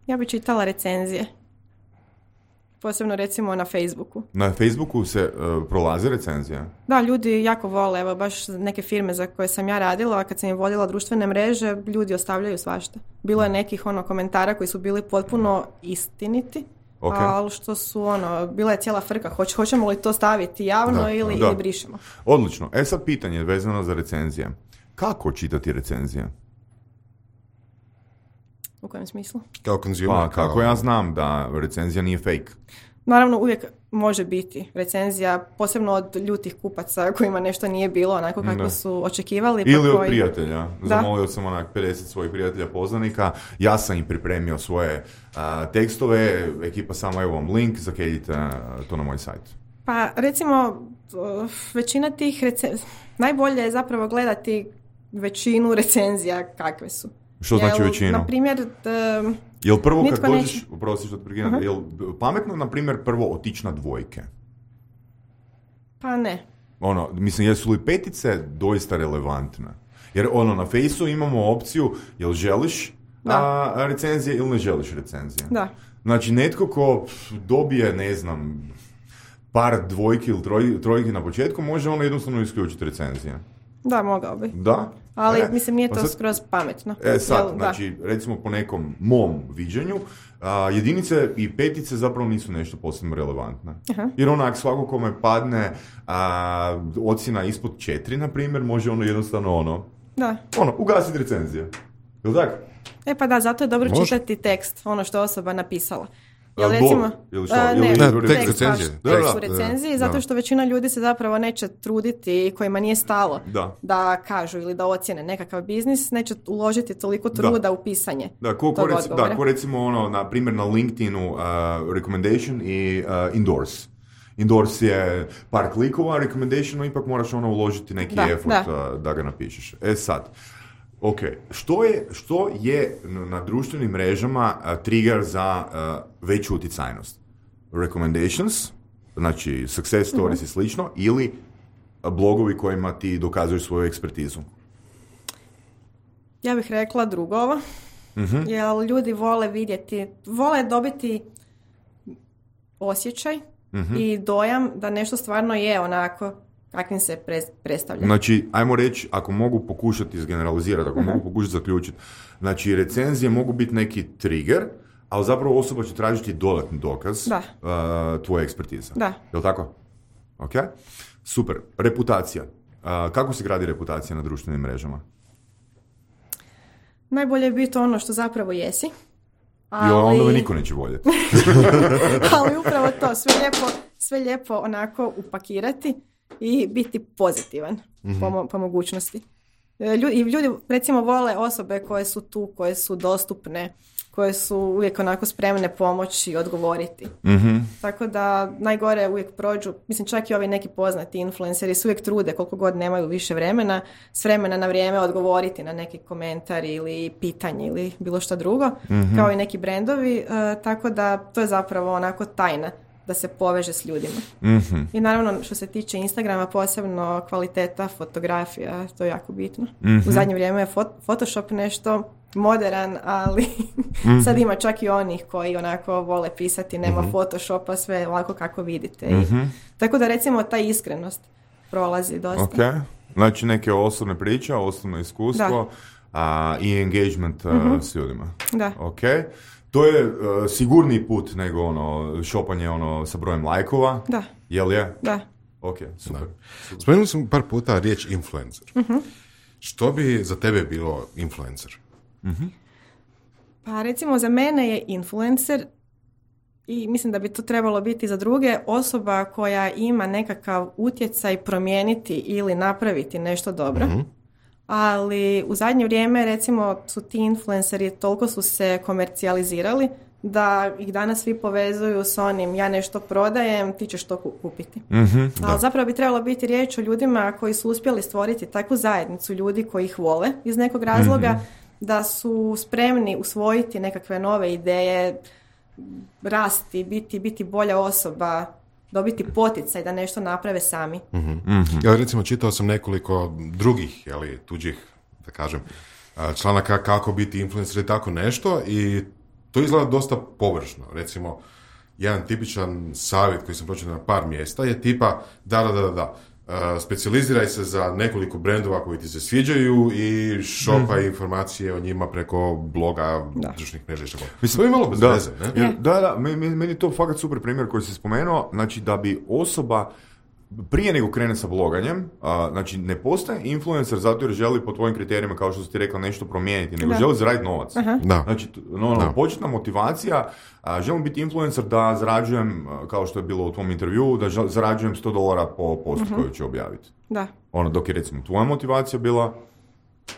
Ja bih čitala recenzije. Posebno recimo na Facebooku. Na Facebooku se uh, prolaze recenzije? Da, ljudi jako vole. Evo, baš neke firme za koje sam ja radila, kad sam im vodila društvene mreže, ljudi ostavljaju svašta. Bilo je nekih ono komentara koji su bili potpuno istiniti, okay. ali što su ono, bila je cijela frka. Hoć, hoćemo li to staviti javno da, ili, da. ili brišemo? Odlično. E sad pitanje vezano za recenzije. Kako čitati recenzije? U kojem smislu? Kao consumer. Pa, kako kao... ja znam da recenzija nije fake? Naravno, uvijek može biti recenzija, posebno od ljutih kupaca kojima nešto nije bilo onako kako da. su očekivali. Ili pa od koji... prijatelja. Zamolio sam onak pedeset svojih prijatelja poznanika. Ja sam im pripremio svoje uh, tekstove. Ekipa samo, evo vam link, zakeljite uh, to na moj sajt. Pa, recimo, većina tih recenzija, najbolje je zapravo gledati većinu recenzija kakve su. Što znači većinu? Na primjer, uh, jel prvo kad dođeš, upravo si što prekinem, uh-huh. jel pametno, na primjer, prvo otići na dvojke? Pa ne. Ono, mislim, jesu li petice doista relevantne? Jer ono, na Fejsu imamo opciju, jel želiš a, recenzije ili ne želiš recenzije? Da. Znači, netko ko dobije, ne znam, par dvojki ili troj, trojki na početku, može ono jednostavno isključiti recenzije. Da, mogao bi. Da? Ali, e, mislim, nije to sad, skroz pametno. E, sad, Jel, znači, da. recimo po nekom mom viđenju, a, jedinice i petice zapravo nisu nešto posebno relevantne. Aha. Jer onak, svako kome padne a, ocjena ispod četiri, na primjer, može ono jednostavno ono, da. ono, ugasiti recenzije. Jel' tako? E pa da, zato je dobro može. čitati tekst, ono što osoba napisala. Jel recimo, ili što? A, ne, ili tekst recenzije. Tekst u recenziji, zato da. što većina ljudi se zapravo neće truditi i kojima nije stalo da. da kažu ili da ocjene nekakav biznis, neće uložiti toliko truda da. u pisanje da, ko, ko, reci, da, ko recimo ono, na primjer na LinkedInu uh, recommendation i uh, endorse. Endorse je par klikova, recommendation ipak moraš ono uložiti neki da, effort da. Uh, da ga napišeš. E sad, ok, što je, što je na društvenim mrežama uh, trigger za uh, veću utjecajnost? Recommendations znači success stories uh-huh. i slično, ili blogovi kojima ti dokazuješ svoju ekspertizu? Ja bih rekla drugovo, uh-huh. jer ljudi vole vidjeti, vole dobiti osjećaj uh-huh. i dojam da nešto stvarno je onako kakvim se pre, predstavlja. Znači, ajmo reći, ako mogu pokušati izgeneralizirati, ako uh-huh. mogu pokušati zaključiti, znači recenzije mogu biti neki trigger, ali zapravo osoba će tražiti dodatni dokaz uh, tvoje ekspertize. Da. Jel' tako? Ok. Super. Reputacija. Uh, kako se gradi reputacija na društvenim mrežama? Najbolje je biti ono što zapravo jesi. Ali... Jo, onda me niko neće voljeti. Ali upravo to, sve lijepo, sve lijepo onako upakirati i biti pozitivan mm-hmm. po, po mogućnosti. Ljudi, ljudi recimo vole osobe koje su tu, koje su dostupne, koje su uvijek onako spremne pomoći i odgovoriti. Mm-hmm. Tako da najgore uvijek prođu, mislim čak i ovi neki poznati influenceri se uvijek trude koliko god nemaju više vremena, s vremena na vrijeme odgovoriti na neki komentar ili pitanje ili bilo što drugo, mm-hmm. kao i neki brendovi, e, tako da to je zapravo onako tajna da se poveže s ljudima. Mm-hmm. I naravno što se tiče Instagrama, posebno kvaliteta fotografija, to je jako bitno. Mm-hmm. U zadnje vrijeme je fot- Photoshop nešto moderan, ali mm-hmm. sad ima čak i onih koji onako vole pisati, nema mm-hmm. Photoshopa, sve ovako kako vidite. Mm-hmm. I, tako da recimo ta iskrenost prolazi dosta. Ok, znači neke osobne priče, osobno iskustvo a, i engagement mm-hmm. uh, s ljudima. Da. Ok. To je uh, sigurniji put nego ono šopanje ono sa brojem lajkova. Da. Jel je? Da. Ok, super. super. Spomenuli smo par puta riječ influencer. Uh-huh. Što bi za tebe bilo influencer? Uh-huh. Pa recimo za mene je influencer, i mislim da bi to trebalo biti za druge, osoba koja ima nekakav utjecaj promijeniti ili napraviti nešto dobro. Uh-huh. Ali u zadnje vrijeme recimo su ti influenceri toliko su se komercijalizirali da ih danas svi povezuju s onim ja nešto prodajem, ti ćeš to kupiti. Mm-hmm, ali zapravo bi trebalo biti riječ o ljudima koji su uspjeli stvoriti takvu zajednicu ljudi koji ih vole iz nekog razloga, mm-hmm. da su spremni usvojiti nekakve nove ideje, rasti, biti, biti bolja osoba, dobiti poticaj da nešto naprave sami. Mm-hmm. Mm-hmm. Ja recimo čitao sam nekoliko drugih, jeli, tuđih, da kažem, članaka kako biti influencer i tako nešto i to izgleda dosta površno. Recimo, jedan tipičan savjet koji sam pročitao na par mjesta je tipa da, da, da, da, uh, specijaliziraj se za nekoliko brendova koji ti se sviđaju i šopaj mm. informacije o njima preko bloga, društvenih mreža i što. Mislim, to je malo bez da, veze, ne? Jer, da, da, meni, meni je to fakat super primjer koji si spomenuo, znači da bi osoba prije nego krene sa bloganjem, a, znači ne postaje influencer zato jer želi po tvojim kriterijima, kao što si ti rekla, nešto promijeniti, nego da. želi zaraditi novac. Da. Znači, no, no, početna motivacija, a, želim biti influencer da zarađujem, kao što je bilo u tvom intervjuu, da žel, zarađujem sto dolara po postu uh-huh. koju ću objaviti. Da. Ono, dok je recimo tvoja motivacija bila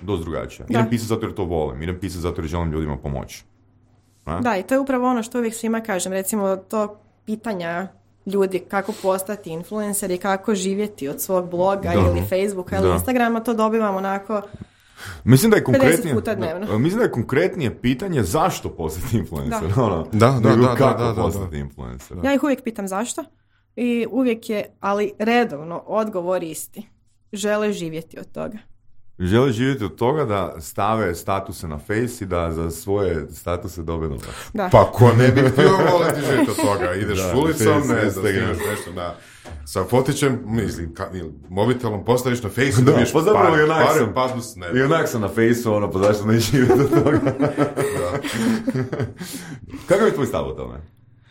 dosta drugačija. Idem pisati zato jer to volim, idem pisati zato jer želim ljudima pomoći. A? Da, i to je upravo ono što uvijek svima kažem, recimo to pitanja ljudi kako postati influencer i kako živjeti od svog bloga da. ili Facebooka ili da. Instagrama, to dobivamo onako mislim da je konkretnije, puta dnevno. Da, mislim da je konkretnije pitanje zašto postati influencer. Da, ono, da, da, da, da, kako da, da, postati da. influencer. Ja ih uvijek pitam zašto i uvijek je, ali redovno, odgovor isti. Žele živjeti od toga. Žele živjeti od toga da stave statuse na Face i da za svoje statuse dobe novac. Pa ko ne bi htio voliti živjeti od toga? Ideš da, ulicom, ne znam, snimaš nešto na, sa fotićem, mislim, ka, mobitelom postaviš na Face i dobiješ pa par, par, pasbus, ne. I onak sam na Face-u, ono, pa zašto ne živjeti od toga? Da. Kako je tvoj stav o tome?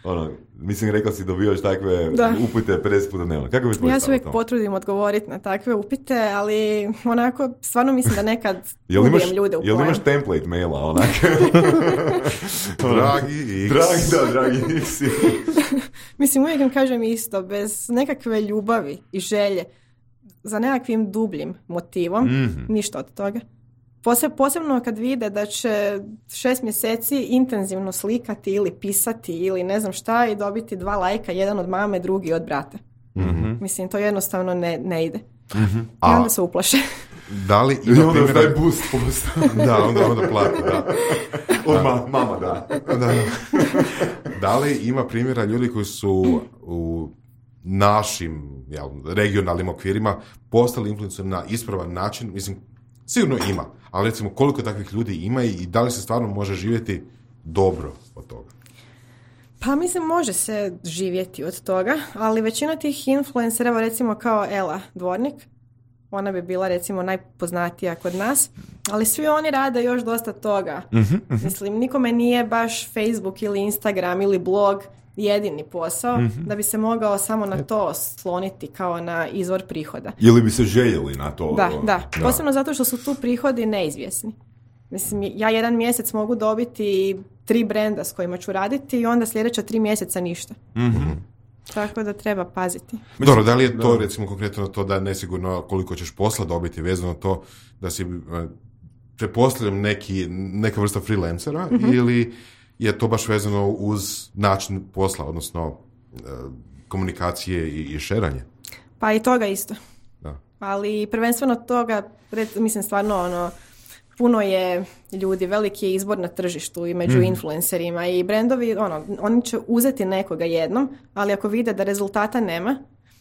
Ono, mislim, rekla si dobivaš takve da. upite pedeset puta dnevno. Kako bi tvoj ja se uvijek potrudim odgovoriti na takve upite, ali onako, stvarno mislim da nekad ubijem ljude u pojam. Jel imaš template maila, onak? Dragi X. Dragi, da, dragi X. Mislim, uvijek im kažem isto, bez nekakve ljubavi i želje za nekakvim dubljim motivom, mm-hmm. ništa od toga. Posebno kad vide da će šest mjeseci intenzivno slikati ili pisati ili ne znam šta i dobiti dva lajka, jedan od mame, drugi od brata. Mm-hmm. Mislim, to jednostavno ne, ne ide. Mm-hmm. I onda A, se uplaše. Da li ima onda primjera... taj boost post. Da, onda, onda plati, da. Od ma, mama, da. da. Da li ima primjera ljudi koji su u našim jel, regionalnim okvirima postali influenceri na ispravan način, mislim, sigurno ima, ali recimo koliko takvih ljudi ima i da li se stvarno može živjeti dobro od toga? Pa mislim, može se živjeti od toga, ali većina tih influencera, evo recimo kao Ela Dvornik, ona bi bila recimo najpoznatija kod nas, ali svi oni rade još dosta toga. Uh-huh, uh-huh. Mislim, nikome nije baš Facebook ili Instagram ili blog jedini posao, uh-huh. da bi se mogao samo na to sloniti kao na izvor prihoda. Ili bi se željeli na to? Da, da. da. Posebno zato što su tu prihodi neizvjesni. Mislim, ja jedan mjesec mogu dobiti tri brenda s kojima ću raditi i onda sljedeća tri mjeseca ništa. Mm-hmm. Tako da treba paziti. Dobro, da li je to recimo konkretno to da nesigurno koliko ćeš posla dobiti vezano to da si pretpostavljam neki, neka vrsta freelancera mm-hmm. ili je to baš vezano uz način posla, odnosno komunikacije i, i šeranje? Pa i toga isto. Da. Ali prvenstveno toga, mislim stvarno ono, puno je ljudi, veliki je izbor na tržištu i među mm. influencerima i brendovi, ono, oni će uzeti nekoga jednom, ali ako vide da rezultata nema,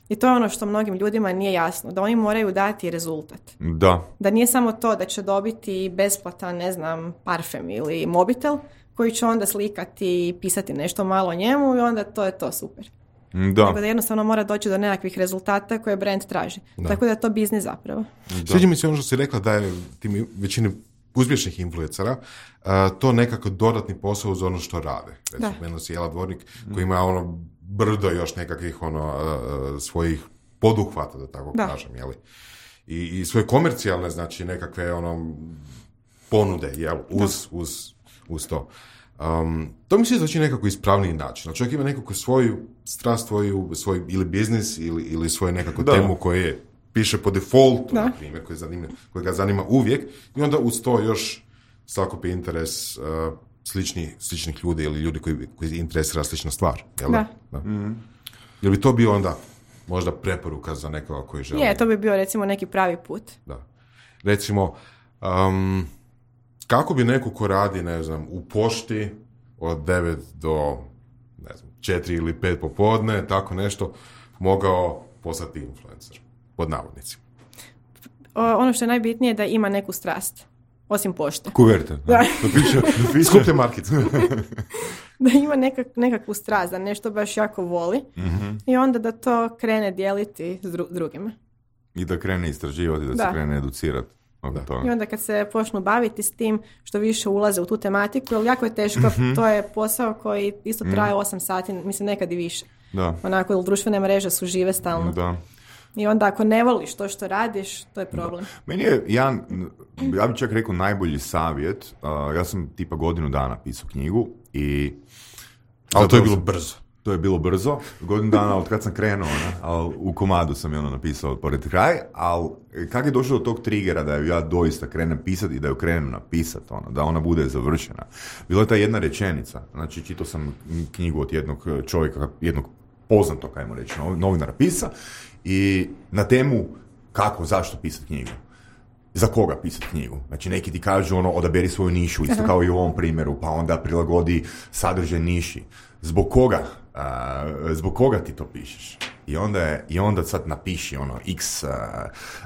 i to je ono što mnogim ljudima nije jasno, da oni moraju dati rezultat. Da. Da nije samo to da će dobiti besplatan, ne znam, parfem ili mobitel, koji će onda slikati i pisati nešto malo o njemu i onda to je to super. Da. Tako da jednostavno mora doći do nekakvih rezultata koje brand traži. Da. Tako da je to biznis zapravo. Sviđa mi se ono što si rekla da je tim većini uspješnih influencera uh, to nekako dodatni posao uz ono što rade. Recimo, meni si Ela Dvornik koji ima ono brdo još nekakvih ono uh, svojih poduhvata, da tako da. kažem, jeli? I, i svoje komercijalne, znači nekakve ono ponude, jel? Uz, uz, uz to. Um, to mi se znači nekako ispravniji način. Čovjek ima nekako svoju strast, svoju, svoj ili biznis ili, ili svoju nekako da. temu koje piše po defaultu, da. na primjer, koji, zanima, koji ga zanima uvijek i onda uz to još sakupi interes uh, slični, sličnih ljudi ili ljudi koji, koji interesira slična stvar. Jel? Da. Da. Mm. Jel bi to bio onda možda preporuka za nekoga koji želi? Je, to bi bio recimo neki pravi put. Da. Recimo, um, kako bi neko ko radi, ne znam, u pošti od devet do ne znam, četiri ili pet popodne, tako nešto, mogao postati influencer, pod navodnicima? O, ono što je najbitnije je da ima neku strast, osim pošte. Kuverte. Da. Da piše, da piše. Skupte markice. Da ima nekak, nekakvu strast, da nešto baš jako voli mm-hmm. i onda da to krene dijeliti s dru- drugima. I da krene istraživati, da, da. se krene educirati. I onda kad se počnu baviti s tim što više ulaze u tu tematiku, jer jako je teško, mm-hmm. to je posao koji isto traje osam mm. sati, mislim nekad i više. Da. Onako, jer društvene mreže su žive stalno. Da. I onda ako ne voliš to što radiš, to je problem. Da. Meni je, ja, ja bih čak rekao najbolji savjet, uh, ja sam tipa godinu dana pisao knjigu i... Ali to je bilo brzo. To je bilo brzo, godinu dana od kad sam krenuo, ne? Ali u komadu sam je ono napisao pored kraj, ali kako je došlo do tog trigera da ju ja doista krenem pisati i da ju krenem napisati, ono, da ona bude završena. Bila je ta jedna rečenica, znači čitao sam knjigu od jednog čovjeka, jednog poznatog, ajmo reći, novinara pisa i na temu kako, zašto pisati knjigu. Za koga pisati knjigu? Znači neki ti kažu ono, odaberi svoju nišu, isto kao i u ovom primjeru, pa onda prilagodi sadržaj niši. Zbog koga? Uh, zbog koga ti to pišeš? I onda, je, i onda sad napiši ono x uh,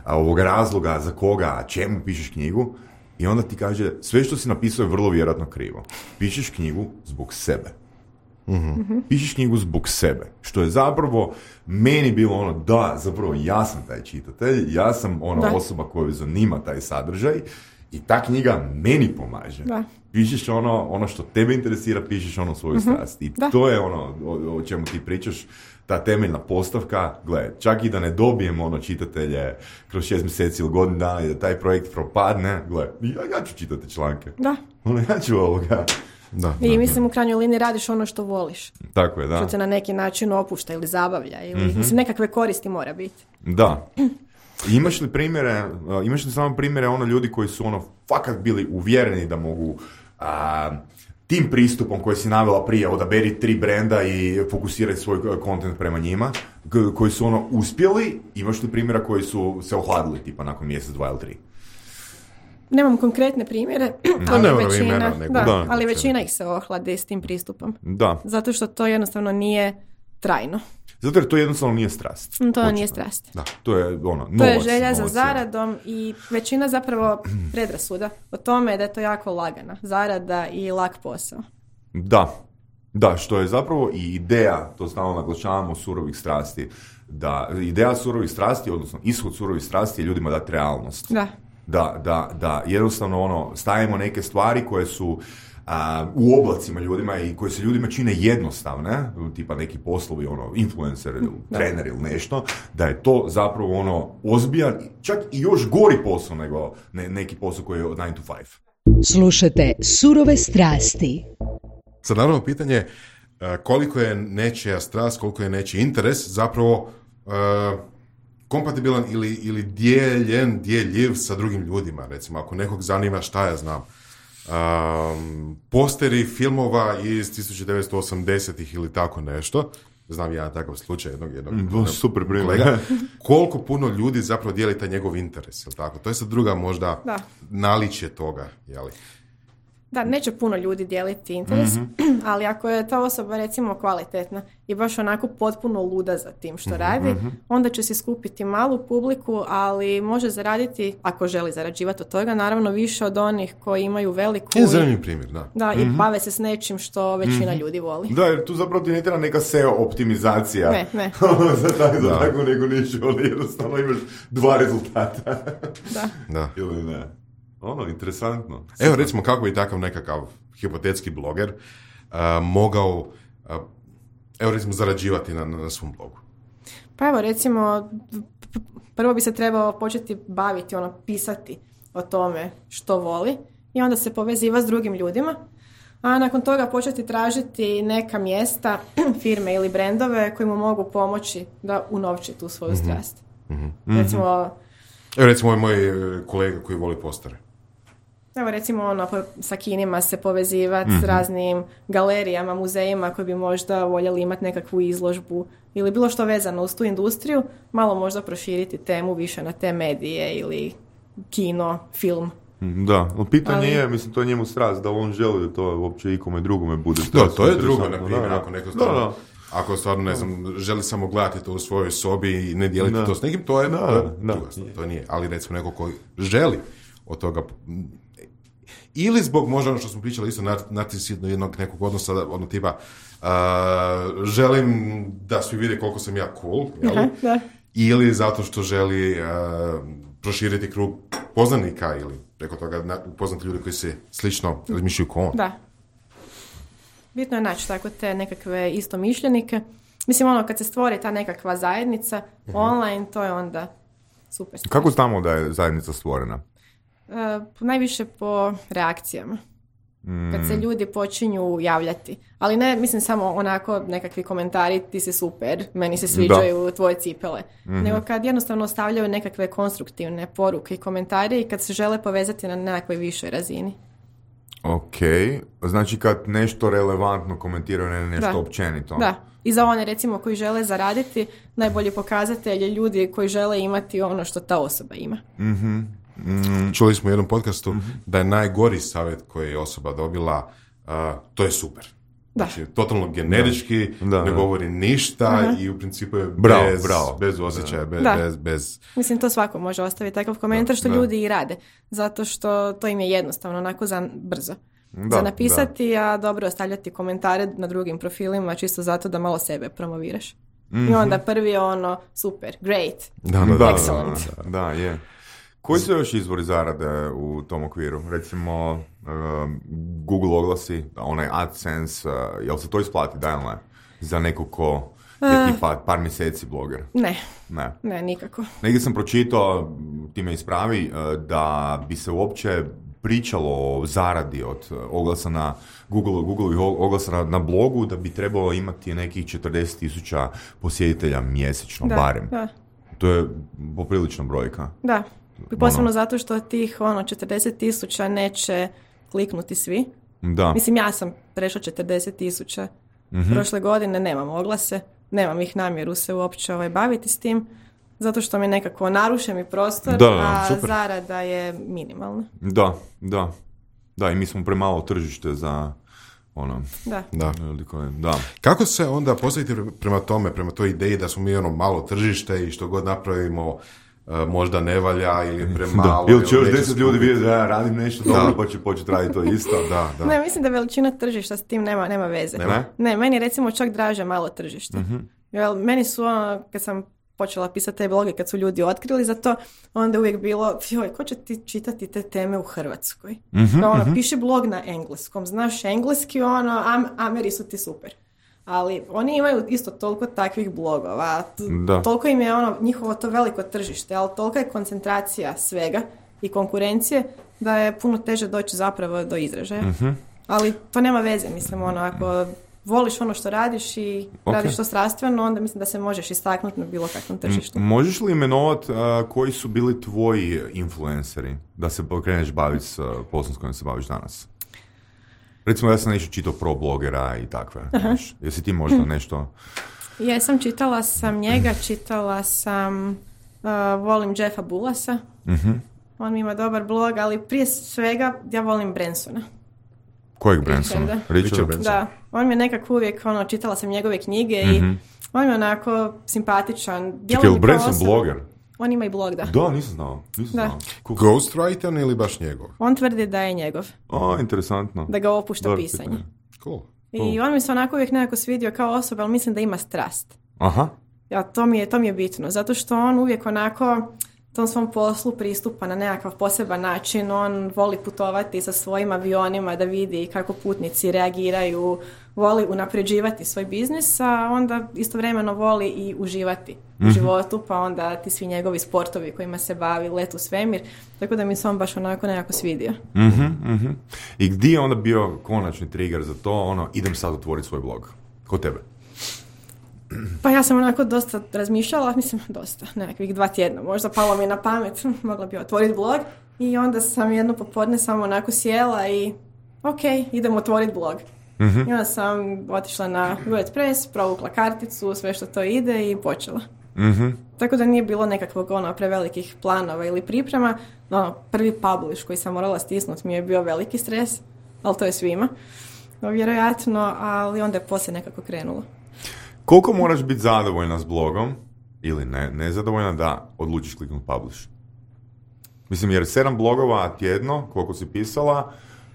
ovog razloga za koga, čemu pišeš knjigu i onda ti kaže sve što si napisao je vrlo vjerojatno krivo. Pišeš knjigu zbog sebe. Mm-hmm. Pišeš knjigu zbog sebe. Što je zapravo meni bilo ono da, zapravo ja sam taj čitatelj, ja sam ona da. osoba koju zanima taj sadržaj i ta knjiga meni pomaže. Da. Pišeš ono, ono što tebe interesira, pišeš ono svoju mm-hmm. strast. I da. to je ono o, o čemu ti pričaš, ta temeljna postavka. Gle, čak i da ne dobijemo ono čitatelje kroz šest mjeseci ili godinu dana i da taj projekt propadne, gle, ja, ja ću čitati članke. Da. Ono, ja ću ovoga. Da, I da, mislim da. u krajnjoj liniji radiš ono što voliš. Tako je, da. Što se na neki način opušta ili zabavlja. Ili, mm-hmm. mislim, nekakve koristi mora biti. Da. Imaš li primjere, imaš li samo primjere ono ljudi koji su ono fakat bili uvjereni da mogu a, tim pristupom koji si navela prije, odaberi tri brenda i fokusirati svoj kontent prema njima, k- koji su ono uspjeli, imaš li primjera koji su se ohladili tipa nakon mjesec, dva ili tri? Nemam konkretne primjere, ali, ne, većina, imena, da, da, ali većina ih se ohlade s tim pristupom. Da. Zato što to jednostavno nije trajno. Zato jer to jednostavno nije strast. To Početno. nije strast. Da, to je ono, novac. To je želja novac, za zaradom i većina zapravo predrasuda o tome da je to jako lagana zarada i lak posao. Da, da, što je zapravo i ideja, to stalno naglašavamo, surovih strasti. Da, ideja surovih strasti, odnosno ishod surovih strasti je ljudima dati realnost. Da. Da, da, da, jednostavno ono, stavimo neke stvari koje su a, u oblacima ljudima i koje se ljudima čine jednostavne, tipa neki poslovi, ono, influencer ili trener ili nešto, da je to zapravo ono ozbiljan, čak i još gori posao nego ne, neki posao koji je od nine to five. Slušate Surove strasti. Sad naravno pitanje koliko je nečija strast, koliko je nečiji interes zapravo uh, kompatibilan ili, ili dijeljen, dijeljiv sa drugim ljudima. Recimo, ako nekog zanima šta ja znam, um, posteri filmova iz tisuću devetsto osamdesetih ili tako nešto, znam jedan takav slučaj jednog, jednog, jednog super kolega, koliko puno ljudi zapravo dijeli taj njegov interes, jel tako? To je sad druga možda da. naličje toga, jeli? Da, neće puno ljudi dijeliti interes, mm-hmm. ali ako je ta osoba recimo kvalitetna i baš onako potpuno luda za tim što mm-hmm. radi, onda će si skupiti malu publiku, ali može zaraditi, ako želi zarađivati od toga, naravno više od onih koji imaju veliku... Je zanimljiv primjer, da. Da, mm-hmm. i bave se s nečim što većina mm-hmm. ljudi voli. Da, jer tu zapravo ti ne treba neka S E O optimizacija. Ne, ne. za tako, za tako nego ništa, ono jednostavno imaš dva rezultata. Da. Da. Ili ne. Ono, interesantno. Evo, recimo, kako bi takav nekakav hipotetski bloger uh, mogao, uh, evo, recimo, zarađivati na, na svom blogu? Pa evo, recimo, prvo bi se trebao početi baviti, ono, pisati o tome što voli i onda se poveziva s drugim ljudima, a nakon toga početi tražiti neka mjesta, firme ili brendove koji mu mogu pomoći da unovči tu svoju strast. Mm-hmm. Recimo... Evo, recimo, moj kolega koji voli postare. Evo recimo ono, sa kinima se povezivati mm-hmm. s raznim galerijama, muzejima koji bi možda voljeli imati nekakvu izložbu ili bilo što vezano uz tu industriju, malo možda proširiti temu više na te medije ili kino, film. Da, no pitanje ali... je, mislim, to je njemu strast, da on želi da to uopće ikome drugome bude strast. Da, to je drugo, na primjer, ako neko stvarno... Da, da. Ako stvarno, ne znam, želi samo gledati to u svojoj sobi i ne dijeliti da. to s nekim, to je, da, to, je da, druga stvar, to nije. Ali recimo neko koji želi od toga, ili zbog možda ono što smo pričali isto narcisizma jednog nekog odnosa, ono tipa uh, želim da svi vide koliko sam ja cool, jel? Aha, da. Ili zato što želi uh, proširiti krug poznanika ili preko toga upoznati ljudi koji se slično razmišljaju kao on. Da. Bitno je naći tako te nekakve istomišljenike. Mislim, ono, kad se stvori ta nekakva zajednica uh-huh. online, to je onda super stvar. Kako znamo da je zajednica stvorena? Uh, najviše po reakcijama. Mm. Kad se ljudi počinju javljati. Ali ne, mislim, samo onako nekakvi komentari, ti si super, meni se sviđaju da. tvoje cipele. Mm-hmm. Nego kad jednostavno ostavljaju nekakve konstruktivne poruke i komentari i kad se žele povezati na nekakvoj višoj razini. Ok, znači kad nešto relevantno komentiraju, ne nešto da. općenito. Da, i za one recimo koji žele zaraditi, najbolji pokazatelj je ljudi koji žele imati ono što ta osoba ima. Mhm. Mm. Čuli smo u jednom podcastu mm-hmm. da je najgori savjet koji je osoba dobila, uh, to je super. Da. Znači, totalno generički, da, ne da. govori ništa uh-huh. i u principu je bravo, bez, bravo. bez osjećaja, bez, bez, bez... Mislim, to svako može ostaviti takav komentar, što da. ljudi i rade. Zato što to im je jednostavno, onako za brzo. Da, za napisati, da. a dobro ostavljati komentare na drugim profilima, čisto zato da malo sebe promoviraš. Mm-hmm. I onda prvi je ono, super, great, da, da, excellent. Da, da, da, je. Koji su još izvori zarade u tom okviru? Recimo, uh, Google oglasi, onaj AdSense, uh, jel se to isplati, da ili ne? Za neko ko je tipa par mjeseci bloger? Ne, ne, ne nikako. Negdje sam pročitao, ti me ispravi, uh, da bi se uopće pričalo o zaradi od oglasa na Google, Google oglasa na, na blogu, da bi trebalo imati nekih četrdeset tisuća posjetitelja mjesečno, da, barem. Da. To je poprilična brojka. Da. I posebno ono. zato što tih ono, četrdeset tisuća neće kliknuti svi. Da. Mislim, ja sam prešla četrdeset tisuća mm-hmm. prošle godine, nemam oglase, nemam ih namjeru se uopće ovaj, baviti s tim, zato što mi nekako naruše mi prostor, da, a super. zarada je minimalna. Da, da. Da, i mi smo premalo tržište za ono. Da. Da. da. Kako se onda postaviti prema tome, prema toj ideji da smo mi ono malo tržište i što god napravimo možda ne valja ili premalo. Ili će još deset ljudi vidjeti da ja radim nešto dobro pa će početi raditi to isto. Da, da. Ne, mislim da veličina tržišta s tim nema, nema veze. Ne? Ne, meni je recimo čak draže malo tržište. Mm-hmm. Jer meni su ono, kad sam počela pisati te bloge, kad su ljudi otkrili za to, onda uvijek bilo, joj, ko će ti čitati te teme u Hrvatskoj? Mm-hmm, Kao ono, mm-hmm. piši blog na engleskom, znaš engleski, ono, am, Ameri su ti super. Ali oni imaju isto toliko takvih blogova, t- toliko im je ono njihovo to veliko tržište, ali tolika je koncentracija svega i konkurencije da je puno teže doći zapravo do izražaja. Mm-hmm. Ali to nema veze, mislim, ono, ako voliš ono što radiš i okay. radiš to strastveno, onda mislim da se možeš istaknuti na bilo kakvom tržištu. M- možeš li imenovati uh, koji su bili tvoji influenceri da se kreneš baviti s uh, poslom s kojim se baviš danas? Recimo, ja sam nešto čitao pro blogera i takve. Znaš, jesi ti možda hm. nešto... Jesam, čitala sam njega, čitala sam, uh, volim Jeffa Bullasa. Mm-hmm. On ima dobar blog, ali prije svega ja volim Bransona. Kojeg Bransona? Richard Branson. Da, on mi je nekako uvijek, ono, čitala sam njegove knjige mm-hmm. i on je onako simpatičan. Čekaj, je Branson osoba. Bloger? On ima i blog, da. Da, nisam znao. Nisam da. znao. Cool. Ghostwriter ili baš njegov? On tvrdi da je njegov. O, interesantno. Da ga opušta Dobar pisanje. Pitanje. Cool. I cool. on mi se onako uvijek nekako svidio kao osoba, ali mislim da ima strast. Aha. Ja, to mi je, to mi je bitno, zato što on uvijek onako tom svom poslu pristupa na nekakav poseban način. On voli putovati sa svojim avionima da vidi kako putnici reagiraju, voli unapređivati svoj biznis, a onda istovremeno voli i uživati mm-hmm. u životu, pa onda ti svi njegovi sportovi kojima se bavi, let u svemir, tako da mi se on baš onako nekako svidio. Mm-hmm, mm-hmm. I gdje je onda bio konačni trigger za to, ono, idem sad otvoriti svoj blog? Kod tebe? Pa ja sam onako dosta razmišljala, mislim dosta, nekakvih dva tjedna, možda palo mi na pamet, mogla bi otvoriti blog i onda sam jedno popodne samo onako sjela i ok, idem otvoriti blog. Mm-hmm. I onda sam otišla na WordPress, provukla karticu, sve što to ide i počela. Mm-hmm. Tako da nije bilo nekakvog ono, prevelikih planova ili priprema. Ono, prvi publish koji sam morala stisnuti mi je bio veliki stres, ali to je svima, vjerojatno, ali onda je poslije nekako krenulo. Koliko moraš biti zadovoljna s blogom ili ne, nezadovoljna da odlučiš kliknuti publish? Mislim, jer sedam blogova tjedno, koliko si pisala,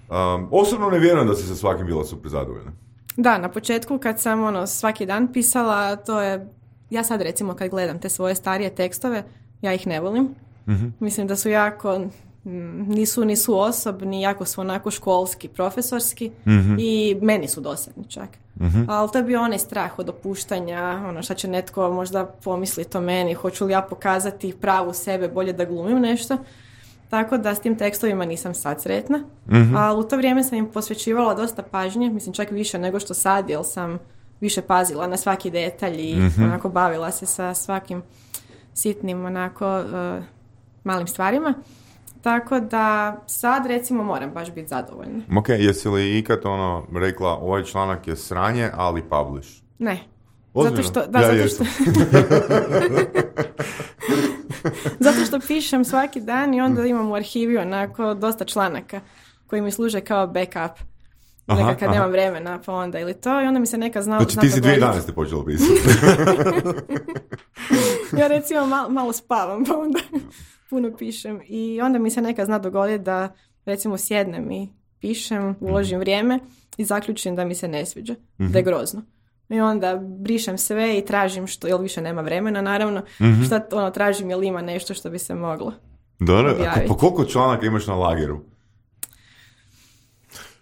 um, osobno ne vjerujem da si sa svakim bila super zadovoljna. Da, na početku kad sam ono, svaki dan pisala, to je, ja sad recimo kad gledam te svoje starije tekstove, ja ih ne volim. Mm-hmm. Mislim da su jako, nisu, nisu osobni, jako su onako školski, profesorski mm-hmm. i meni su dosadni čak. Mm-hmm. Ali to je bio onaj strah od opuštanja, ono šta će netko možda pomisliti o meni, hoću li ja pokazati pravu sebe, bolje da glumim nešto. Tako da s tim tekstovima nisam sad sretna, mm-hmm. ali u to vrijeme sam im posvećivala dosta pažnje, mislim čak više nego što sad, jer sam više pazila na svaki detalj i mm-hmm. onako bavila se sa svakim sitnim onako uh, malim stvarima. Tako da sad recimo moram baš biti zadovoljna. Ok, jesi li ikad ono rekla ovaj članak je sranje, ali publish? Ne. Ozbiljno? Zato što, da, ja zato što... zato što pišem svaki dan i onda imam u arhivi onako dosta članaka koji mi služe kao backup. Aha, nekad kad aha. nemam vremena, pa onda ili to i onda mi se neka zna... Znači ti si dvije dane ste počela pisati. Ja recimo malo, malo spavam, pa onda puno pišem i onda mi se neka zna dogoditi da recimo sjednem i pišem, uložim mm. vrijeme i zaključim da mi se ne sviđa, mm-hmm. da je grozno. I onda brišem sve i tražim što, jer više nema vremena naravno, mm-hmm. šta ono tražim, jel ima nešto što bi se moglo Dobro, a po koliko članaka imaš na lageru?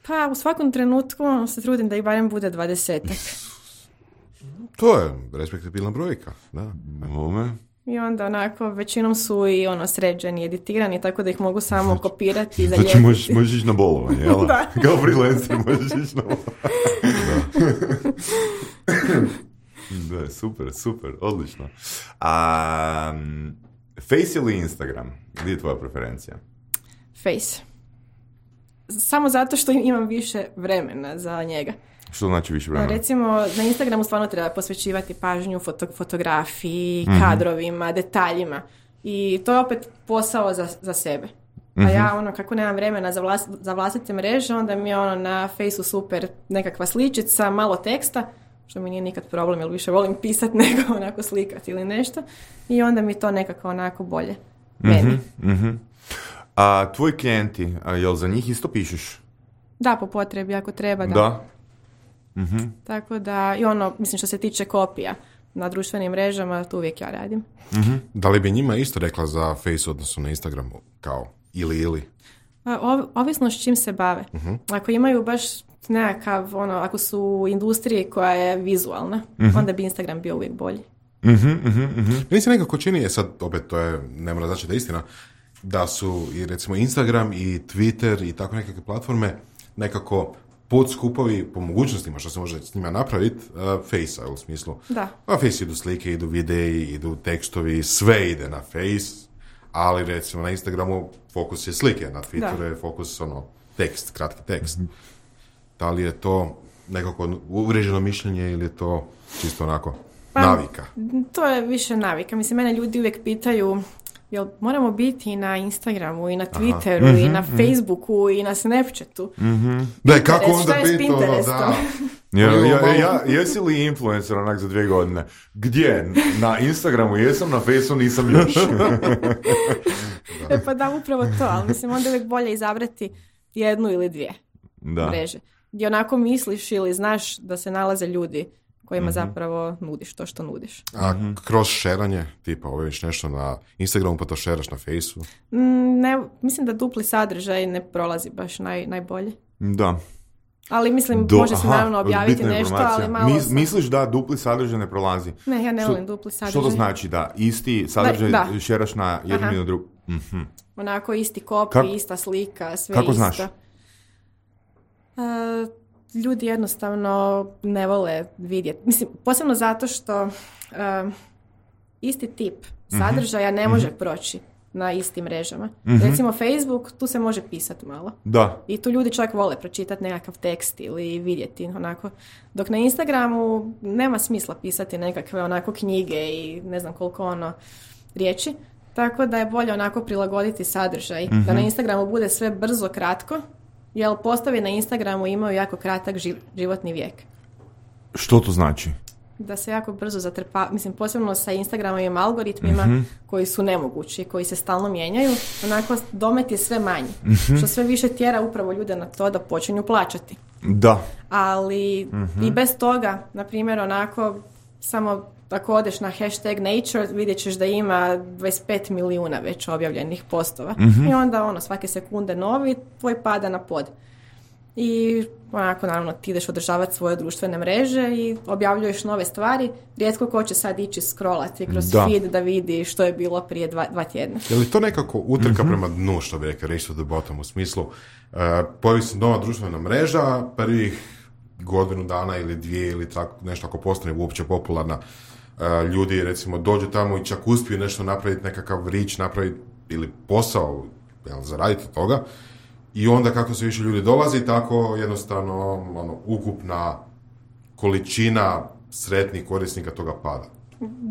Pa u svakom trenutku se trudim da ih barem bude dvadesetak. To je respektabilna brojka, da. Ome. I onda onako većinom su i ono sređeni, editirani, tako da ih mogu samo znači, kopirati i zalijepiti. Znači možeš, možeš ići na bolovanje, jel? Da. Kao freelancer možeš ići na bolovanje. Da. Da, super, super, odlično. Um, Face ili Instagram? Gdje je tvoja preferencija? Face. Samo zato što imam više vremena za njega. Što znači više vremena? Recimo, na Instagramu stvarno treba posvećivati pažnju foto, fotografiji, mm-hmm. kadrovima, detaljima. I to je opet posao za, za sebe. A uh-huh. ja, ono, kako nemam vremena za, vlas, za vlastite mreže, onda mi je ono na Fejsu super nekakva sličica, malo teksta, što mi nije nikad problem, jer više volim pisati nego onako slikati ili nešto. I onda mi to nekako onako bolje meni. Uh-huh, uh-huh. A tvoji klijenti, a jel za njih isto pišeš? Da, po potrebi, ako treba, da. Da. Uh-huh. Tako da, i ono, mislim što se tiče kopija na društvenim mrežama, to uvijek ja radim. Uh-huh. Da li bi njima isto rekla za Face odnosno na Instagramu, kao ili ili? O, ovisno s čim se bave. Uh-huh. Ako imaju baš nekakav, ono, ako su u industriji koja je vizualna, uh-huh. onda bi Instagram bio uvijek bolji. Uh-huh, uh-huh, uh-huh. Meni se nekako čini, je sad, opet to je, ne mora znači da je istina, da su i recimo Instagram i Twitter i tako nekakve platforme nekako podskupovi po mogućnostima što se može s njima napraviti uh, Face-a u smislu. Da. Na Face idu slike, idu videi, idu tekstovi, sve ide na Face, ali recimo na Instagramu fokus je slike, na Twitteru je fokus ono tekst, kratki tekst. Mm-hmm. Da li je to nekako uvriježeno mišljenje ili je to čisto onako pa, navika? To je više navika. Mislim, mene ljudi uvijek pitaju jel moramo biti i na Instagramu, i na Twitteru, mm-hmm, i na Facebooku, mm-hmm. i na Snapchatu. Mm-hmm. Da, kako onda biti ono, da. Ja, ja, ja, jesi li influencer onak za dvije godine? Gdje? Na Instagramu jesam, na Facebooku nisam još. E pa da, upravo to, ali mislim onda uvijek bolje izabrati jednu ili dvije da. mreže. Gdje onako misliš ili znaš da se nalaze ljudi kojima mm-hmm. zapravo nudiš to što nudiš. A kroz šeranje, tipa oviš nešto na Instagramu pa to šeraš na Faceu? Ne, mislim da dupli sadržaj ne prolazi baš naj, najbolje. Da. Ali mislim, Do, može se aha, naravno objaviti nešto, ali malo... Mis, misliš da dupli sadržaj ne prolazi? Ne, ja ne što, volim dupli sadržaj. Što to znači? Da isti sadržaj da, da. šeraš na jednu i na drugu? Mm-hmm. Onako isti kopij, Kak, ista slika, sve kako isto. Kako znaš? Uh, ljudi jednostavno ne vole vidjeti. Mislim, posebno zato što uh, isti tip sadržaja ne može mm-hmm. proći na istim mrežama. Mm-hmm. Recimo Facebook, tu se može pisati malo. Da. I tu ljudi čak vole pročitati nekakav tekst ili vidjeti onako. Dok na Instagramu nema smisla pisati nekakve onako knjige i ne znam koliko ono riječi. Tako da je bolje onako prilagoditi sadržaj. Mm-hmm. Da na Instagramu bude sve brzo, kratko. Jer postavi na Instagramu imaju jako kratak životni vijek. Što to znači? Da se jako brzo zatrpa, mislim posebno sa Instagramovim algoritmima mm-hmm. koji su nemogući, koji se stalno mijenjaju, onako domet je sve manji. Mm-hmm. Što sve više tjera upravo ljude na to da počinju plaćati. Da. Ali mm-hmm. i bez toga, na primjer onako, samo ako odeš na hashtag nature, vidjet ćeš da ima dvadeset pet milijuna već objavljenih postova. Mm-hmm. I onda ono, svake sekunde novi, tvoj pada na pod. I onako, naravno, ti ideš održavati svoje društvene mreže i objavljuješ nove stvari. Rijetko ko će sad ići scrollati kroz da. feed da vidi što je bilo prije dva, dva tjedna. Je li to nekako utrka mm-hmm. prema dnu, što bi rekao, race to the bottom, u smislu uh, pojavi se nova društvena mreža, prvih godinu dana ili dvije ili tako, nešto ako postane uopće popularna, Uh, ljudi recimo dođu tamo i čak uspiju nešto napraviti, nekakav rič napraviti ili posao, jel, zaraditi toga, i onda kako se više ljudi dolazi, tako jednostavno ono, ukupna količina sretnih korisnika toga pada.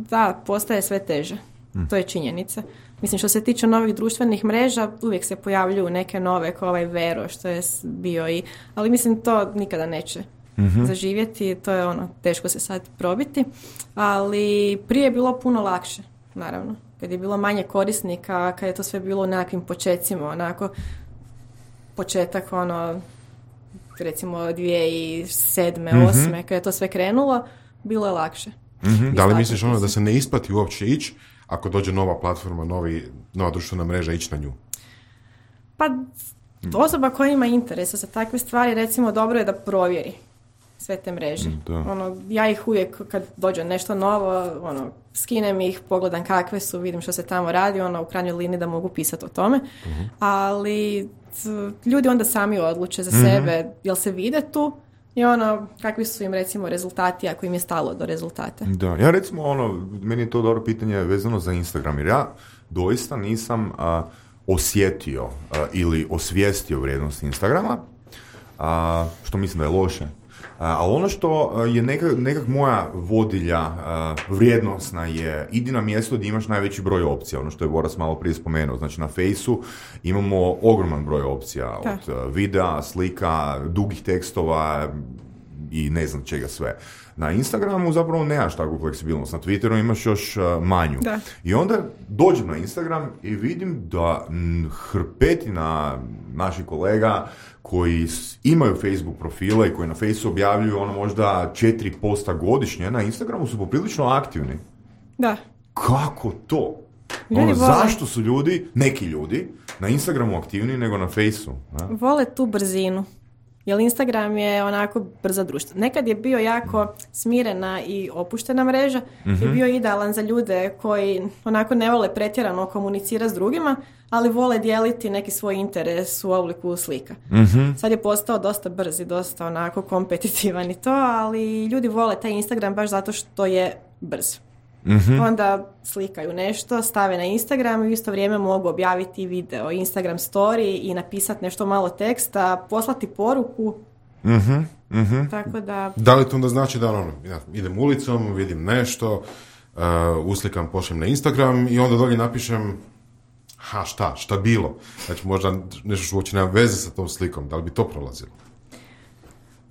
Da, postaje sve teže. Hmm. To je činjenica. Mislim, što se tiče novih društvenih mreža, uvijek se pojavljuju neke nove, kao ovaj Vero, što je bio i... Ali mislim, to nikada neće mm-hmm. zaživjeti, to je ono, teško se sad probiti, ali prije je bilo puno lakše, naravno, kad je bilo manje korisnika, kad je to sve bilo u nekakvim počecima, onako, početak, ono, recimo dvije tisuće sedme, mm-hmm. osme, kad je to sve krenulo, bilo je lakše. Mm-hmm. Da li misliš ono da se ne isplati uopće ići, ako dođe nova platforma, novi, nova društvena mreža, ići na nju? Pa, osoba koja ima interesa za takve stvari, recimo, dobro je da provjeri sve te mreže. Ono, ja ih uvijek kad dođe nešto novo, ono, skinem ih, pogledam kakve su, vidim što se tamo radi, ono, u krajnjoj liniji da mogu pisati o tome. Uh-huh. Ali t, ljudi onda sami odluče za uh-huh. sebe, jel se vide tu i ono, kakvi su im recimo rezultati ako im je stalo do rezultata. Da, ja recimo ono, meni je to dobro pitanje vezano za Instagram, jer ja doista nisam a, osjetio a, ili osvijestio vrijednost Instagrama, a, što mislim da je loše. ali ono što je nekak, nekak moja vodilja uh, vrijednosna je idi na mjesto gdje imaš najveći broj opcija, ono što je Boras malo prije spomenuo. Znači na Fejsu imamo ogroman broj opcija, da. Od uh, videa, slika, dugih tekstova i ne znam čega sve. Na Instagramu zapravo nemaš takvu fleksibilnost, na Twitteru imaš još uh, manju. Da. I onda dođem na Instagram i vidim da m, hrpetina naših kolega koji imaju Facebook profile i koji na Facebooku objavljuju ono možda četiri posta godišnje, na Instagramu su poprilično aktivni. Da. Kako to? Ono, zašto su ljudi, neki ljudi, na Instagramu aktivniji nego na Facebooku? Vole tu brzinu. Jer Instagram je onako brza društva. Nekad je bio jako smirena i opuštena mreža, mm-hmm. je bio idealan za ljude koji onako ne vole pretjerano komunicirati s drugima, ali vole dijeliti neki svoj interes u obliku slika. Mm-hmm. Sad je postao dosta brz i dosta onako kompetitivan i to, ali ljudi vole taj Instagram baš zato što je brz. Mm-hmm. Onda slikaju nešto, stave na Instagram i u isto vrijeme mogu objaviti video, Instagram story i napisati nešto malo teksta, poslati poruku. Mm-hmm. Mm-hmm. Tako da... Da li to onda znači da ono, ja idem ulicom, vidim nešto, uh, uslikam, pošljem na Instagram i onda dolje napišem ha šta, šta bilo? Znači možda nešto što uopće nema veze sa tom slikom, da li bi to prolazilo?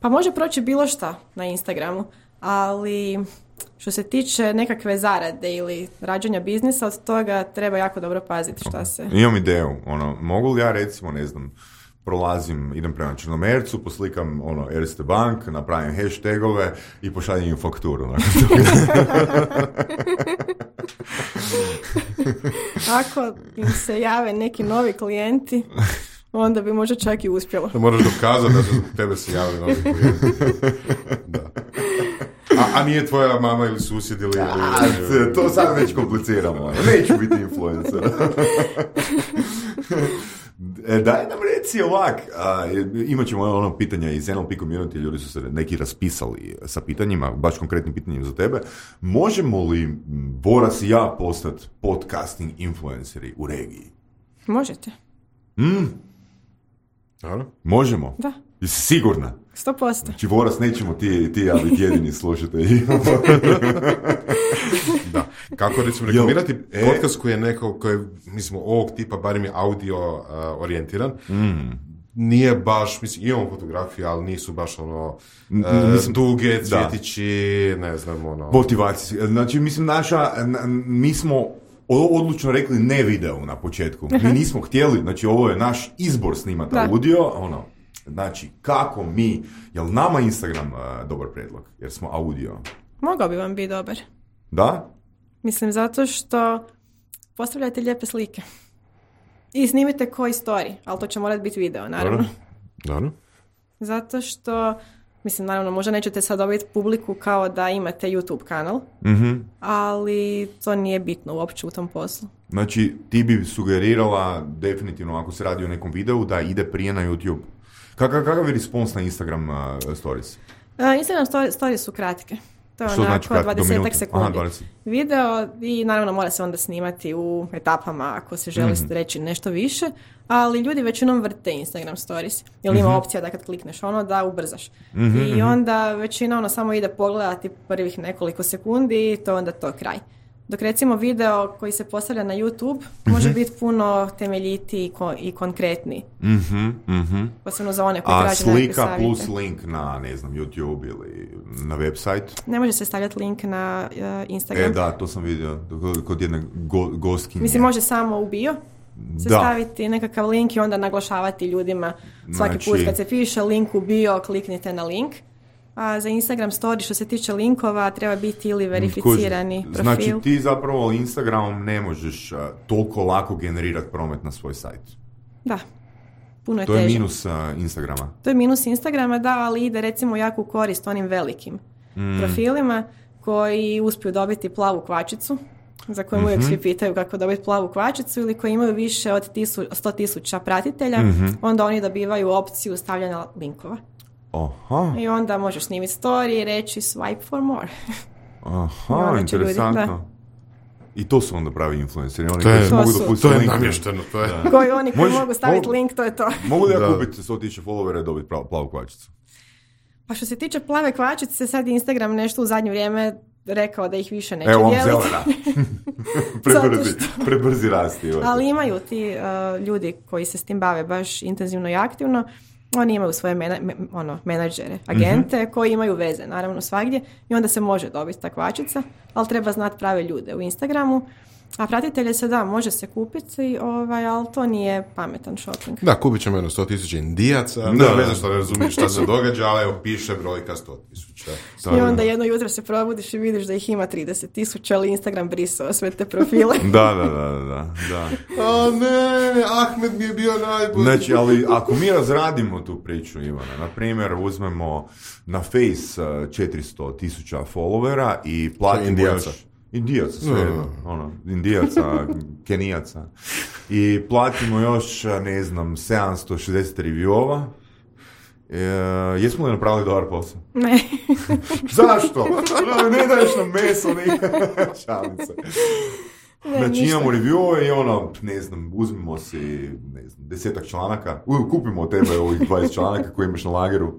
Pa može proći bilo šta na Instagramu, ali... Što se tiče nekakve zarade ili rađanja biznisa, od toga treba jako dobro paziti šta se... Imam ideju, ono, mogu li ja recimo, ne znam, prolazim, idem prema Črnomercu, poslikam ono, Erste Bank, napravim hashtagove i pošaljem im fakturu. Ako im se jave neki novi klijenti, onda bi možda čak i uspjelo. Da moraš dokazati da su tebe se javili novi klijenti. Da. A, a nije tvoja mama ili susjed ili... A, to sad već kompliciramo. Neću biti influencer. Daj nam reci ovak. A, imat ćemo ono pitanja iz N L P community, ljudi su se neki raspisali sa pitanjima, baš konkretnim pitanjima za tebe. Možemo li Boras i ja postati podcasting influenceri u regiji? Možete. Mm. Možemo? Da. Jesi sigurna? Sto posto. Znači, Boras, nećemo ti, ti ja biti jedini slušatelji. Da. Kako recimo reklamirati e? podcast koji je neko, koji je, mislim, ovog tipa, barem je audio uh, orijentiran, mm. nije baš, mislim, imamo fotografije, ali nisu baš ono, uh, mislim, duge, cvjetići, da. Ne znam, ono... Motivacije. Znači, mislim, naša, mi smo odlučno rekli ne video na početku. Mi nismo htjeli, znači, ovo je naš izbor snimati da. Audio, ono... Znači, kako mi, jel nama Instagram uh, dobar predlog? Jer smo audio. Mogao bi vam biti dobar. Da? Mislim, zato što postavljate lijepe slike. I snimite koji story, ali to će morati biti video, naravno. Naravno. Zato što, mislim, naravno, možda nećete sad dobiti publiku kao da imate YouTube kanal, mm-hmm. ali to nije bitno uopće u tom poslu. Znači, ti bi sugerirala definitivno, ako se radi o nekom videu, da ide prije na YouTube. Kakav, kakav je respons na Instagram uh, stories? Uh, Instagram stories, stories su kratke. To je onako znači dvadeset sekundi. Aha, dvadeset. Video i naravno mora se onda snimati u etapama ako se želi mm-hmm. reći nešto više, ali ljudi većinom vrte Instagram stories. Jer mm-hmm. ima opcija da kad klikneš ono da ubrzaš. Mm-hmm. I onda većina ono samo ide pogledati prvih nekoliko sekundi i to onda to kraj. Dok recimo video koji se postavlja na YouTube mm-hmm. može biti puno temeljitiji i, ko- i konkretniji. Mm-hmm. Mm-hmm. Posebno za one koji traže nekakve savjete. A slika plus link na, ne znam, YouTube ili na website? Ne može se stavljati link na uh, Instagram. E da, to sam vidio kod jedne go- gostkinje. Mislim, može samo u bio se da. Staviti nekakav link i onda naglašavati ljudima svaki znači... put kad se piše link u bio, kliknite na link. A za Instagram story što se tiče linkova treba biti ili verificirani Kuži. Profil. Znači ti zapravo Instagramom ne možeš uh, toliko lako generirati promet na svoj sajt. Da, puno je to teže. To je minus uh, Instagrama. To je minus Instagrama, da, ali ide recimo jako u korist onim velikim mm. profilima koji uspiju dobiti plavu kvačicu, za koju mm-hmm. uvijek svi pitaju kako dobiti plavu kvačicu, ili koji imaju više od tisu, sto tisuća pratitelja, mm-hmm. onda oni dobivaju opciju stavljanja linkova. Aha. I onda možeš snimiti story i reći swipe for more. Aha, interesantno. Ljudi, i to su onda pravi influenceri. Oni to je, mogu su, to je namješteno. To je. Da. Koji oni koji Možeš, mogu staviti mogu, link, to je to. Mogu li ja kupiti sto tisuća followera i dobiti plavu kvačicu? Pa što se tiče plave kvačice, sad Instagram nešto u zadnje vrijeme rekao da ih više neće Evo, dijeliti. Evo, zelena. prebrzi, što... prebrzi rasti. Ali imaju ti uh, ljudi koji se s tim bave baš intenzivno i aktivno. Oni imaju svoje mena, me, ono, menadžere, agente, mm-hmm. koji imaju veze, naravno, svagdje. I onda se može dobiti ta kvačica, ali treba znati prave ljude u Instagramu. A pratitelje se da, može se kupiti, ovaj, ali to nije pametan shopping. Da, kupit ćemo jedno sto tisuća indijaca, da, ne znam što ne razumiješ šta se događa, ali evo piše brojka sto tisuća. I onda jedno jutro se probudiš i vidiš da ih ima trideset tisuća, ali Instagram brisao sve te profile. da, da, da, da, da. O ne, Ahmed mi je bio najbolji. Znači, ali ako mi razradimo tu priču, Ivana, na primjer, uzmemo na Face četiristo tisuća followera i platimo još... Indijaca, sve jedno, no. ono, Indijaca, Kenijaca. I platimo još, ne znam, sedamsto šezdeset reviewova. E, jesmo li napravili dobar posao? Ne. Zašto? No, ne daješ nam meso, ne šalim se. Ne, znači ništa. Imamo reviewove i ono, ne znam, uzmimo si, ne znam, desetak članaka. U, kupimo od tebe ovih dvadeset članaka koje imaš na lageru.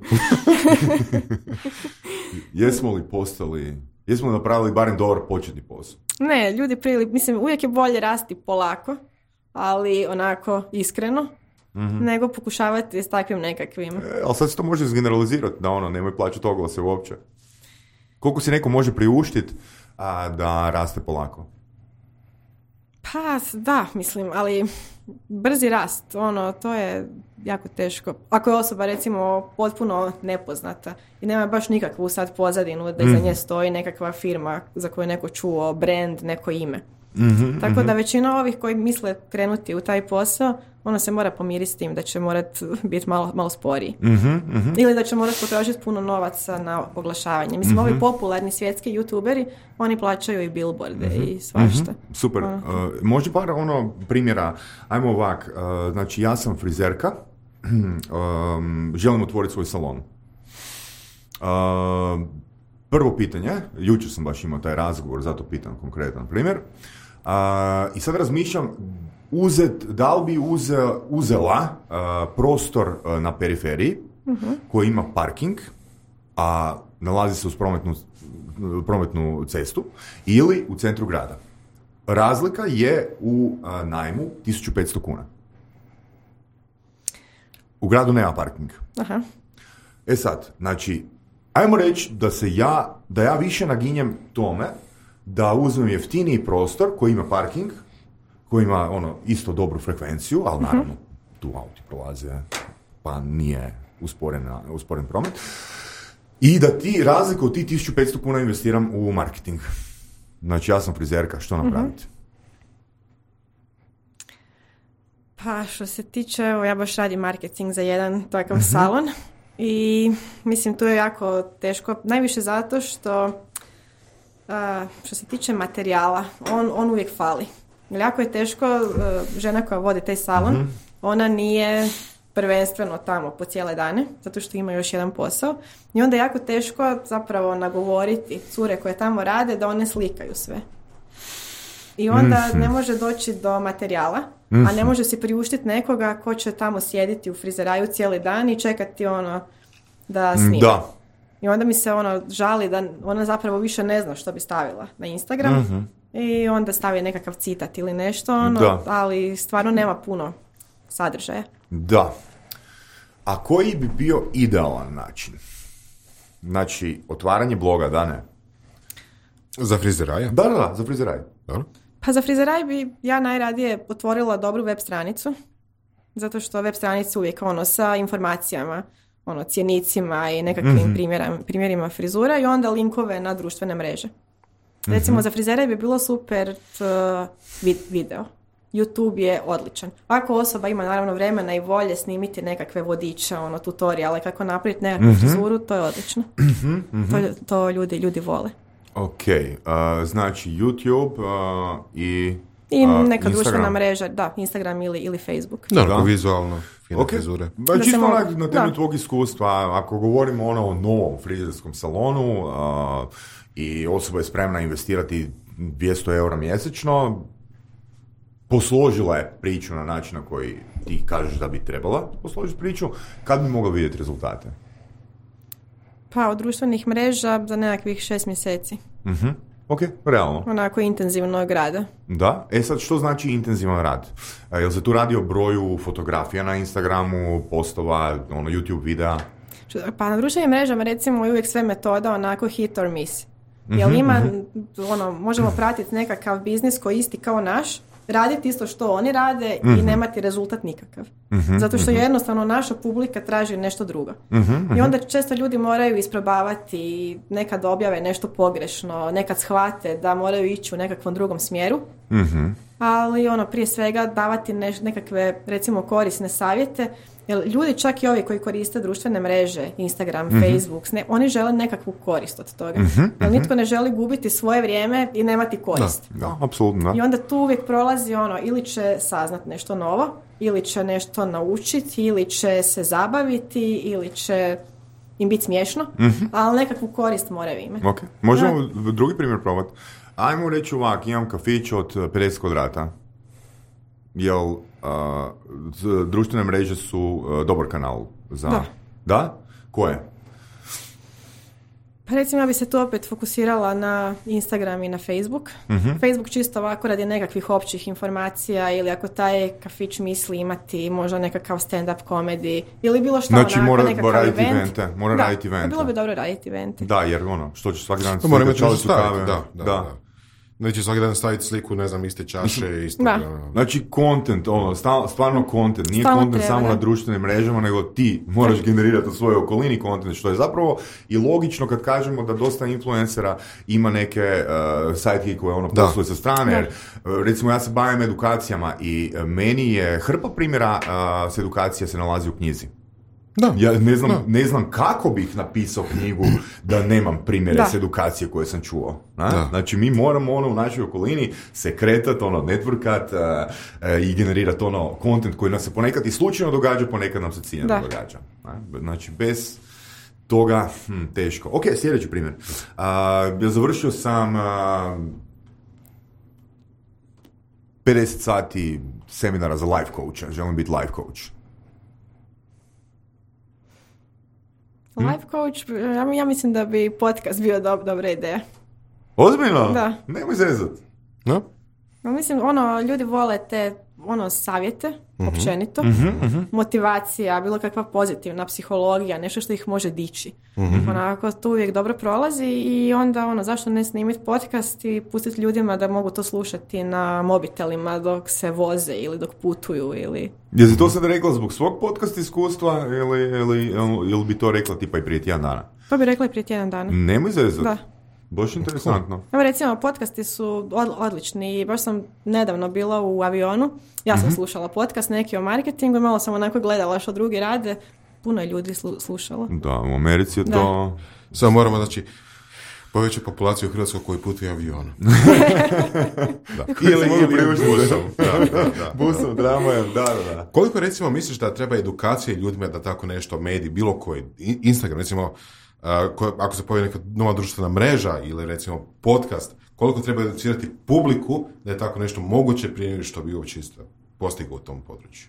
Jesmo li postali... Jesmo napravili barem dobar početni posao? Ne, ljudi prili, mislim, uvijek je bolje rasti polako, ali onako iskreno, mm-hmm. nego pokušavati s takvim nekakvim. E, ali sad se to može izgeneralizirati, da ono, nemoj plaćati oglase uopće. Koliko se neko može priuštiti a, da raste polako? Pa, da, mislim, ali brzi rast, ono, to je jako teško. Ako je osoba, recimo, potpuno nepoznata i nema baš nikakvu sad pozadinu da iza nje stoji nekakva firma za koju je neko čuo, brand, neko ime. Mm-hmm, Tako mm-hmm. da većina ovih koji misle krenuti u taj posao, ono se mora pomiriti s tim da će morat biti malo, malo sporiji. Mm-hmm, mm-hmm. Ili da će morat potrošiti puno novaca na oglašavanje. Mislim, mm-hmm. ovi popularni svjetski youtuberi, oni plaćaju i billboarde mm-hmm. i svašta. Mm-hmm. Super. Uh, može par ono primjera, ajmo ovak, uh, znači ja sam frizerka, um, želim otvoriti svoj salon. Uh, prvo pitanje, jučer sam baš imao taj razgovor, zato pitam konkretan primjer. Uh, I sad razmišljam, uzet, da li bi uze, uzela uh, prostor uh, na periferiji uh-huh. koji ima parking, a nalazi se uz prometnu, prometnu cestu, ili u centru grada. Razlika je u uh, najmu tisuću petsto kuna. U gradu nema parking. Aha. E sad, znači, ajmo reći da se ja, da ja više naginjem tome da uzmem jeftiniji prostor koji ima parking, koji ima ono isto dobru frekvenciju, ali naravno uh-huh. tu auti prolaze, pa nije usporen, usporen promet. I da ti razliku od ti tisuću petsto kuna investiram u marketing. Znači, ja sam frizerka, što napraviti? Uh-huh. Pa, što se tiče, evo, ja baš radim marketing za jedan takav uh-huh. salon i mislim, tu je jako teško, najviše zato što uh, što se tiče materijala, on, on uvijek fali. Jako je teško, uh, žena koja vodi taj salon, uh-huh. ona nije prvenstveno tamo po cijele dane, zato što ima još jedan posao. I onda je jako teško zapravo nagovoriti cure koje tamo rade da one slikaju sve. I onda mm-hmm. ne može doći do materijala, mm-hmm. a ne može si priuštiti nekoga ko će tamo sjediti u frizeraju cijeli dan i čekati ono da snima. Da. I onda mi se ono žali da ona zapravo više ne zna što bi stavila na Instagram mm-hmm. i onda stavi nekakav citat ili nešto, ono, ali stvarno nema puno sadržaja. Da. A koji bi bio idealan način? Znači, otvaranje bloga, da ne? Za frizeraja? Da, da, da, za frizeraj. Dobro. Pa za frizeraj bi ja najradije otvorila dobru web stranicu, zato što web stranica uvijek ono sa informacijama, ono cjenicima i nekakvim mm-hmm. primjerima, primjerima frizura i onda linkove na društvene mreže. Recimo mm-hmm. za frizeraj bi bilo super uh, vid- video. YouTube je odličan. Ako osoba ima naravno vremena i volje snimiti nekakve vodiče, ono tutoriale kako napraviti nekakvu mm-hmm. frizuru, to je odlično. Mm-hmm. To, to ljudi, ljudi vole. Ok, uh, znači YouTube uh, i I uh, neka Instagram. društvena mreža, da, Instagram ili, ili Facebook. Da, da. Vizualno, fine okay. frizure. Da, čisto onak na temelju tvog iskustva, ako govorimo ono o novom frizerskom salonu uh, i osoba je spremna investirati dvjesto eura mjesečno, posložila je priču na način na koji ti kažeš da bi trebala posložiti priču, kad bi mogla vidjeti rezultate? Pa od društvenih mreža za nekakvih šest mjeseci. Mhm. Ok, realno. Onako intenzivnog rada. Da? E sad, što znači intenzivan rad? E, jel se tu radi o broju fotografija na Instagramu, postova, ono, YouTube videa? Pa na društvenim mrežama recimo je uvijek sve metoda onako hit or miss. Jel ima, ono, možemo pratiti nekakav biznis koji isti kao naš, raditi isto što oni rade mm-hmm. i nemati rezultat nikakav. Mm-hmm. Zato što jednostavno naša publika traži nešto drugo. Mm-hmm. I onda često ljudi moraju isprobavati, nekad objave nešto pogrešno, nekad shvate da moraju ići u nekakvom drugom smjeru. Mm-hmm. Ali ono, prije svega davati neš, nekakve recimo korisne savjete. Jer ljudi, čak i ovi koji koriste društvene mreže, Instagram, mm-hmm. Facebook, ne, oni žele nekakvu korist od toga. Mm-hmm. Jer nitko ne želi gubiti svoje vrijeme i nemati korist. Da, da, apsolutno. I onda tu uvijek prolazi ono, ili će saznat nešto novo, ili će nešto naučiti, ili će se zabaviti, ili će im biti smiješno, mm-hmm. ali nekakvu korist moraju imati. Okay. Možemo da. drugi primjer probati. Ajmo reći ovak, imam kafić od pedeset kvadrata. Jel uh, društvene mreže su uh, dobar kanal za... Da. Da? Koje? Pa recimo ja bi se tu opet fokusirala na Instagram i na Facebook. Uh-huh. Facebook čisto ovako radi nekakvih općih informacija ili ako taj kafić misli imati možda nekakav stand-up komedi ili bilo što znači, onako, mora, nekakav raditi event. Evente, mora da, raditi evente. Bilo bi dobro raditi evente. Da, jer ono, što će svaki dan... To mora imati nešto staviti, da, da. da, da. Neće svaki dan staviti sliku, ne znam, iste čaše, isto. Da. Znači, content, ono, stvarno content, nije Stalno content treba, samo da. na društvenim mrežama, nego ti moraš generirati u svojoj okolini content, što je zapravo i logično kad kažemo da dosta influencera ima neke uh, sajtke koje ono posluje sa strane, jer uh, recimo ja se bavim edukacijama i uh, meni je hrpa primjera uh, s edukacija se nalazi u knjizi. Da. Ja ne znam, ne znam kako bih napisao knjigu da nemam primjere s edukacije koje sam čuo. Znači mi moramo ono u našoj okolini se kretat, ono, networkat uh, uh, i generirati ono content koji nam se ponekad i slučajno događa, ponekad nam se ciljano da. događa. Ne? Znači bez toga hm, teško. Ok, sljedeći primjer. Uh, ja završio sam uh, pedeset sati seminara za life coacha. Želim biti life coach. Life coach, ja, ja mislim da bi podcast bio dob, dobra ideja. Ozbiljno? Da. Nemoj zezat. No? Ja mislim, ono, ljudi vole te, ono, savjete, uh-huh. općenito, uh-huh, uh-huh. motivacija, bilo kakva pozitivna psihologija, nešto što ih može dići. Uh-huh. Onako, to uvijek dobro prolazi i onda, ono, zašto ne snimiti podcast i pustiti ljudima da mogu to slušati na mobitelima dok se voze ili dok putuju ili... Jesi to sad rekla zbog svog podcast iskustva ili, ili, ili bi to rekla tipa i prije tjedan dana? To bi rekla i prije tjedan dana. Nemoj zezat. Da. Baš interesantno. Evo recimo, podcasti su od, odlični i baš sam nedavno bila u avionu. Ja sam mm-hmm. slušala podcast neki o marketingu i malo sam onako gledala što drugi rade. Puno je ljudi slu, slušalo. Da, u Americi je da. to... Samo moramo, znači, povećati populaciju u Hrvatskoj koji putuje avionom. da. Ili, ili busom. Da, da, da. Busom, tramvajem, da, da, da. Koliko recimo misliš da treba edukacije ljudima da tako nešto mediji, bilo koji, Instagram, recimo, Uh, ko, ako se pojavi neka nova društvena mreža ili recimo podcast, koliko treba educirati publiku da je tako nešto moguće prije nego što bi uopće isto postigao u tom području?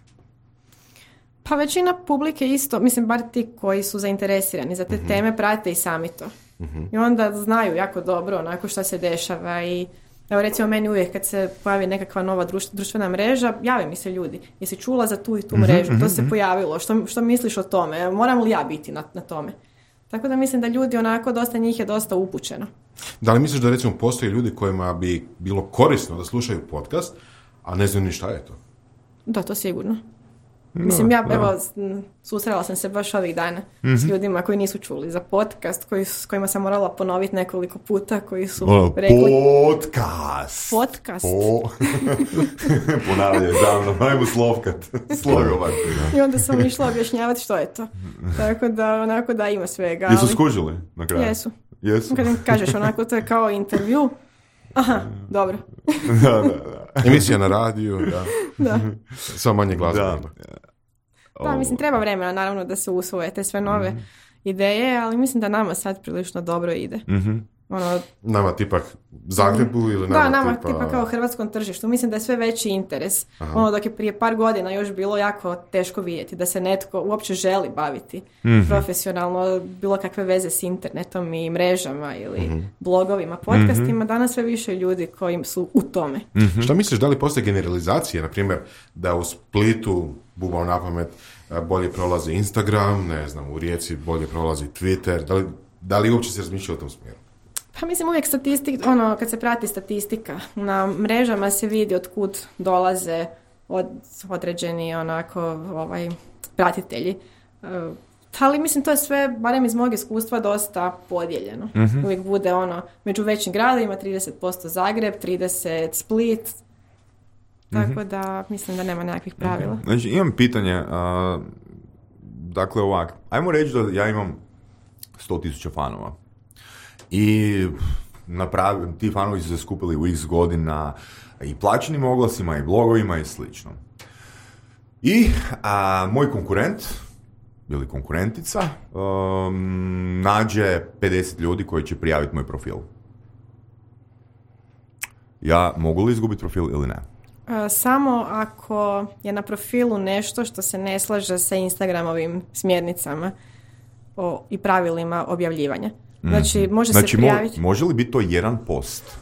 Pa većina publike isto, mislim bar ti koji su zainteresirani za te uh-huh. teme prate i sami to. Uh-huh. I onda znaju jako dobro onako što se dešava i evo recimo meni uvijek kad se pojavi nekakva nova društv, društvena mreža, jave mi se ljudi. Jesi čula za tu i tu mrežu? Uh-huh. To se pojavilo. Što, što misliš o tome? Moram li ja biti na, na tome? Tako da mislim da ljudi onako, dosta njih je dosta upućeno. Da li misliš da recimo postoje ljudi kojima bi bilo korisno da slušaju podcast, a ne znaju ni šta je to? Da, to sigurno. No, mislim, ja, no. evo, susrela sam se baš ovih dana mm-hmm. s ljudima koji nisu čuli za podcast, koji, s kojima sam morala ponoviti nekoliko puta, koji su o, rekli... Podcast! Podcast. Po... Ponavljaj za mnom, ajmo slovkat. Slogovat. I onda sam išla objašnjavati što je to. Tako da, onako da ima svega. Jesu ali... skužili na kraju? Jesu. Jesu. Kad im kažeš onako, to je kao intervju. Aha, dobro. da, da, da. Emisija na radiju, da. da. Samo manje glazbe. Da. Da, mislim, treba vremena, naravno, da se usvoje te sve nove mm-hmm. ideje, ali mislim da nama sad prilično dobro ide. Mm-hmm. ono... Nama tipak Zagrebu ili nama da, nama tipa... tipa kao hrvatskom tržištu. Mislim da je sve veći interes. Aha. Ono dok je prije par godina još bilo jako teško vidjeti da se netko uopće želi baviti mm-hmm. profesionalno, bilo kakve veze s internetom i mrežama ili mm-hmm. blogovima, podcastima. Mm-hmm. Danas sve više ljudi koji su u tome. Mm-hmm. Šta misliš, da li postoje generalizacije, na primjer, da u Splitu, bubao na pamet, bolje prolazi Instagram, ne znam, u Rijeci bolje prolazi Twitter, da li, da li uopće se razmišlja u tom smjeru? Pa mislim uvijek statistik, ono, kad se prati statistika, na mrežama se vidi od kud dolaze od, određeni onako ovaj, pratitelji. Uh, ali mislim to je sve, barem iz mog iskustva, dosta podijeljeno. Mm-hmm. Uvijek bude ono, među većim gradovima trideset posto Zagreb, trideset Split, tako mm-hmm. da mislim da nema nekakvih pravila. Mm-hmm. Znači imam pitanje, uh, dakle ovak, ajmo reći da ja imam sto tisuća fanova. I napravi, ti fanovi su se skupili u x godina i plaćenim oglasima i blogovima i slično. I a, moj konkurent ili konkurentica um, nađe pedeset ljudi koji će prijaviti moj profil. Ja mogu li izgubiti profil ili ne? Samo ako je na profilu nešto što se ne slaže sa Instagramovim smjernicama o, i pravilima objavljivanja. Znači, može znači, se prijaviti... Mo- može li biti to jedan post?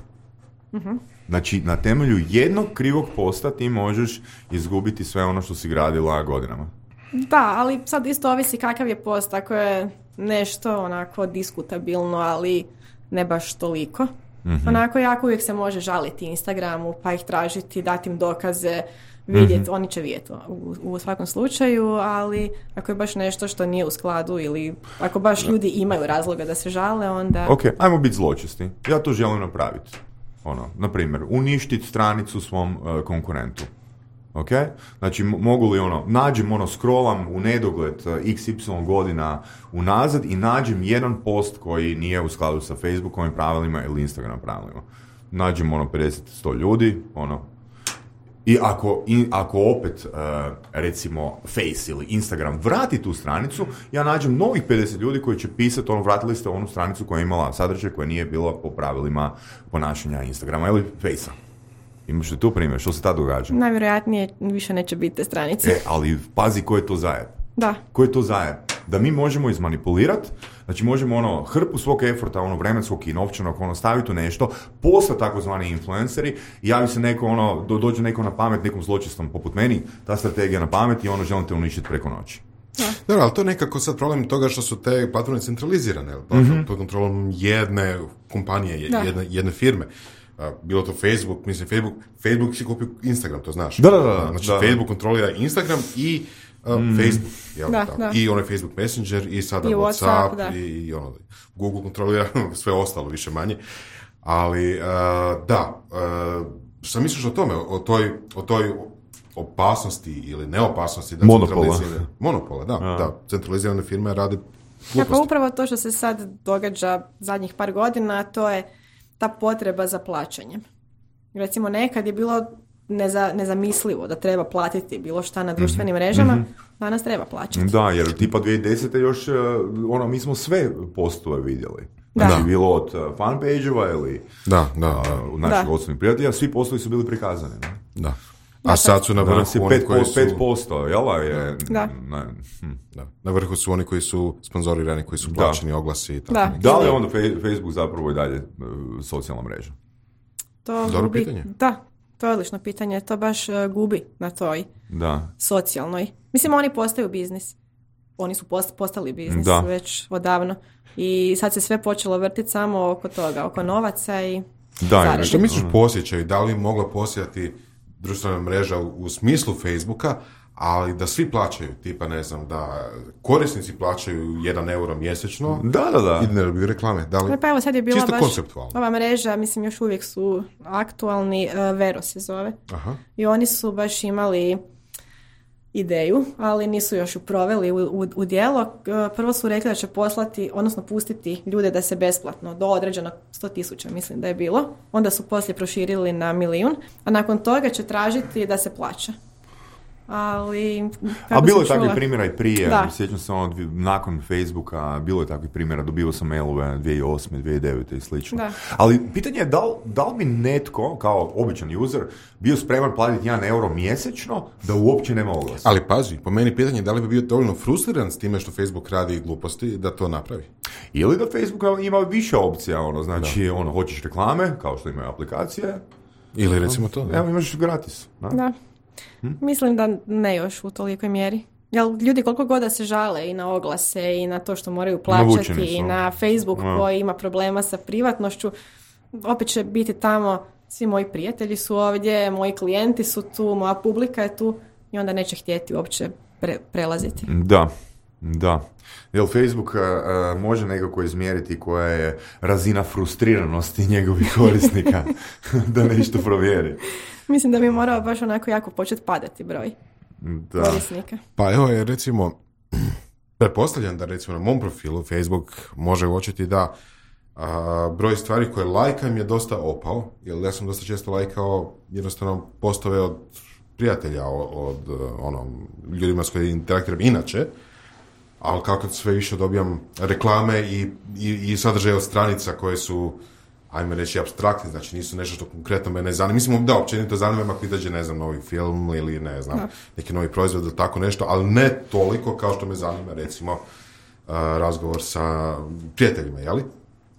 Uh-huh. Znači, na temelju jednog krivog posta ti možeš izgubiti sve ono što si gradila godinama. Da, ali sad isto ovisi kakav je post. Ako je nešto onako diskutabilno, ali ne baš toliko. Uh-huh. Onako, jako uvijek se može žaliti Instagramu, pa ih tražiti, dati im dokaze, vidjeti, mm-hmm. oni će vidjeti u, u svakom slučaju, ali ako je baš nešto što nije u skladu ili ako baš ljudi imaju razloga da se žale, onda... Ok, ajmo biti zločesti. Ja to želim napraviti. Ono, na primjer, uništiti stranicu svom uh, konkurentu. Ok? Znači, m- mogu li ono, nađem ono, scrollam u nedogled uh, iks ipsilon godina unazad i nađem jedan post koji nije u skladu sa Facebookovim pravilima ili Instagram pravilima. Nađem ono pedeset do sto ljudi, ono, i ako, i ako opet, uh, recimo, Face ili Instagram vrati tu stranicu, ja nađem novih pedeset ljudi koji će pisati, ono, vratili ste onu stranicu koja je imala sadržaj koja nije bila po pravilima ponašanja Instagrama ili Facea. Imaš li tu primjer? Što se tad događa? Najvjerojatnije više neće biti te stranice. E, ali pazi ko je to zajeb. Da. Ko je to zajeb? Da mi možemo izmanipulirati, znači možemo ono hrpu svog eforta, ono vremenskog i novčanog, ono staviti u nešto, postati takozvani influenceri i javi se neko, ono, do, dođe neko na pamet, nekom zločestom poput meni, ta strategija na pamet i ono želim te uništiti preko noći. Dobro, ali to je nekako sad problem toga što su te platforme centralizirane, mm-hmm. pod kontrolom jedne kompanije, jedne, jedne firme. Uh, bilo to Facebook, mislim Facebook, Facebook si kupio Instagram, to znaš. Da, da, da. Znači da. Facebook kontrolira Instagram i uh, mm. Facebook, jel, da, da. I onaj Facebook Messenger i sada I WhatsApp, WhatsApp i, i ono, Google kontrolira sve ostalo više manje. Ali uh, da, uh, šta misliš o tome, o toj, o toj opasnosti ili neopasnosti da monopola. Monopola, da, ja. da, centralizirane firme rade gluposti. Ja, pa upravo to što se sad događa zadnjih par godina, to je ta potreba za plaćanjem. Recimo nekad je bilo neza, nezamislivo da treba platiti bilo šta na društvenim mm-hmm. mrežama, mm-hmm. danas treba plaćati. Da, jer tipa dvije tisuće desete još, ono, mi smo sve postove vidjeli. Da. Znači, bilo od fanpage-ova ili da, da, da. Uh, naših osobnih prijatelja, svi postovi su bili prikazani. Ne? Da. A sad su na vrhu oni koji su... pet posto, jel' je... Da. Ne, hm. da. Na vrhu su oni koji su sponzorirani, koji su plaćeni da. oglasi i tako. Da, da li je onda Facebook zapravo i dalje uh, socijalna mreža? To Dobro gubi, pitanje. Da, to je odlično pitanje. To baš uh, gubi na toj da. socijalnoj. Mislim, oni postaju biznis. Oni su post, postali biznis da. već odavno. I sad se sve počelo vrtiti samo oko toga, oko novaca i da, zarade. Što misliš po osjećaju? Da li mogla postojati društvena mreža u, u smislu Facebooka, ali da svi plaćaju, tipa ne znam, da korisnici plaćaju jedan euro mjesečno da, da, da. i ne dobiju reklame. Da li, ne, pa evo sad je bila čisto baš konceptualno. Ova mreža, mislim još uvijek su aktualni, uh, Vero se zove. Aha. I oni su baš imali ideju, ali nisu još ju proveli u, u, u djelo. Prvo su rekli da će poslati, odnosno pustiti ljude da se besplatno, do određenog sto tisuća mislim da je bilo. Onda su poslije proširili na milijun, a nakon toga će tražiti da se plaća. ali... A bilo je takvih primjera i prije, da. Sjećam se ono, nakon Facebooka, bilo je takvih primjera, dobio sam mailove dvije tisuće osme, dvije tisuće devete i slično. Da. Ali pitanje je da li, da li bi netko, kao običan user, bio spreman platiti jedan euro mjesečno da uopće nema oglasa. Ali pazi, po meni pitanje je da li bi bio dovoljno frustriran s time što Facebook radi gluposti da to napravi. Ili da Facebook ima više opcija, ono, znači, da. ono, hoćeš reklame, kao što imaju aplikacije. Ili recimo to. Da. Evo, imaš gratis. Da. da. Hm? Mislim da ne još u tolikoj mjeri. Jel, ljudi koliko god da se žale i na oglase i na to što moraju plaćati i na Facebook no. koji ima problema sa privatnošću, opet će biti tamo svi moji prijatelji su ovdje, moji klijenti su tu, moja publika je tu i onda neće htjeti uopće pre, prelaziti. Da, da. Jel Facebook uh, može nekako izmjeriti koja je razina frustriranosti njegovih korisnika da nešto provjeri? Mislim da bi morao baš onako jako početi padati broj da. korisnika. Pa evo je recimo, pretpostavljam da recimo na mom profilu Facebook može uočiti da a, broj stvari koje lajkam je dosta opao, jer ja sam dosta često lajkao jednostavno postove od prijatelja, od, od ono, ljudima s kojima interaktiram inače, ali kako sve više dobijam reklame i, i, i sadržaje od stranica koje su, ajme reći, apstraktni, znači nisu nešto što konkretno mene zanima. Mislim, da, općenito zanima me ako izađe, ne znam, novi film ili, ne znam, da. neki novi proizvod ili tako nešto, ali ne toliko kao što me zanima, recimo, uh, razgovor sa prijateljima, jeli?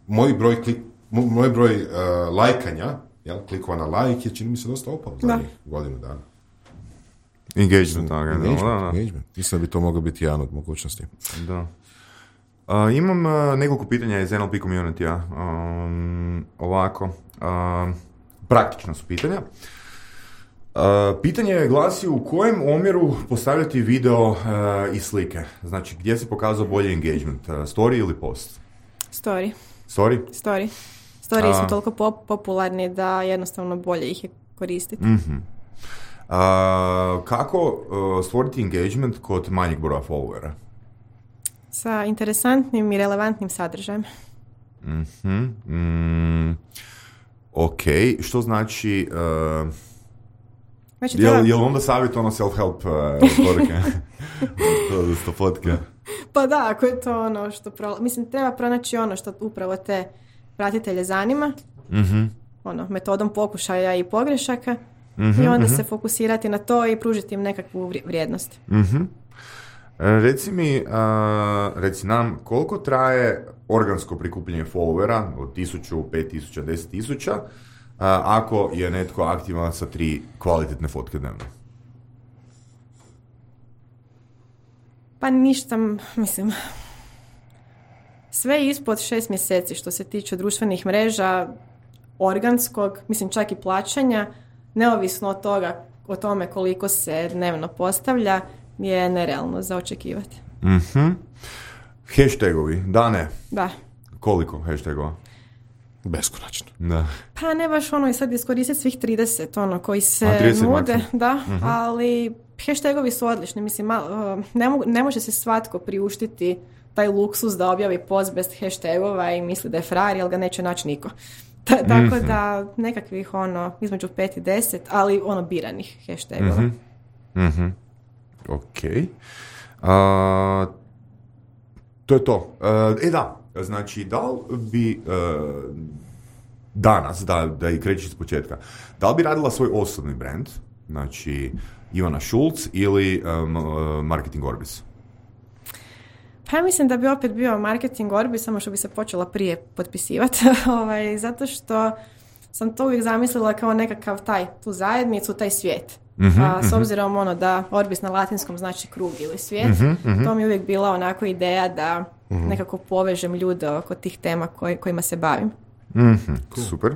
Moj broj, klik, moj broj uh, lajkanja, jel, klikova na lajk je, čini mi se, dosta opao za njih godinu dana. Engagement, da, engagement, da, da. engagement. Mislim da bi to moglo biti jedan od mogućnosti. Da. Uh, imam uh, nekoliko pitanja iz N L P community-a. Um, ovako. Uh, praktična su pitanja. Uh, pitanje glasi u kojem omjeru postavljati video uh, i slike? Znači, gdje se pokazao bolji engagement? Uh, story ili post? Story. Story? Story. Story uh, su toliko pop- popularni da jednostavno bolje ih je koristiti. Uh-huh. Uh, kako uh, stvoriti engagement kod manjeg broja followera? Sa interesantnim i relevantnim sadržajem. Mm-hmm. Mm, ok, što znači... Uh, znači je, li, je li onda savjet ono self-help uh, poruke? to fotke? Pa da, ako je to ono što... Pro... Mislim, treba pronaći ono što upravo te pratitelje zanima. Mm-hmm. Ono, metodom pokušaja i pogrešaka. Mm-hmm, i onda mm-hmm. se fokusirati na to i pružiti im nekakvu vrijednost. Mm-hmm. Reci mi, uh, reci nam, koliko traje organsko prikupljanje followera od tisuću, pet tisuća, deset tisuća, uh, ako je netko aktivan sa tri kvalitetne fotke dnevno? Pa ništa, mislim, sve ispod šest mjeseci što se tiče društvenih mreža, organskog, mislim čak i plaćanja, neovisno od toga, o tome koliko se dnevno postavlja, je nerealno za očekivati. Mm-hmm. Hashtagovi, da ne? Da. Koliko hashtagova? Beskonačno. Da. Pa ne baš ono i sad iskoristiti svih trideset ono koji se nude, da, mm-hmm. ali hashtagovi su odlični. Mislim, ne, mo- ne može se svatko priuštiti taj luksus da objavi post bez hashtagova i misli da je frajer, jer ga neće naći niko. Ta, tako mm-hmm. da nekakvih ono između pet i deset, ali ono biranih hashtagova. Mhm. Mm-hmm. Ok. Uh, to je to. Uh, e da, znači, da li bi uh, danas, da, da i kreći iz početka, da li bi radila svoj osobni brand, znači Ivana Šulc ili um, uh, Marketing Orbis? Pa ja mislim da bi opet bio Marketing Orbis, samo što bi se počela prije potpisivati, ovaj, zato što sam to uvijek zamislila kao nekakav taj, tu zajednicu, taj svijet. Mm-hmm, a, s obzirom ono da Orbis na latinskom znači krug ili svijet, mm-hmm, mm-hmm. to mi je uvijek bila onako ideja da mm-hmm. nekako povežem ljude oko tih tema koj, kojima se bavim. Mm-hmm, cool. Super.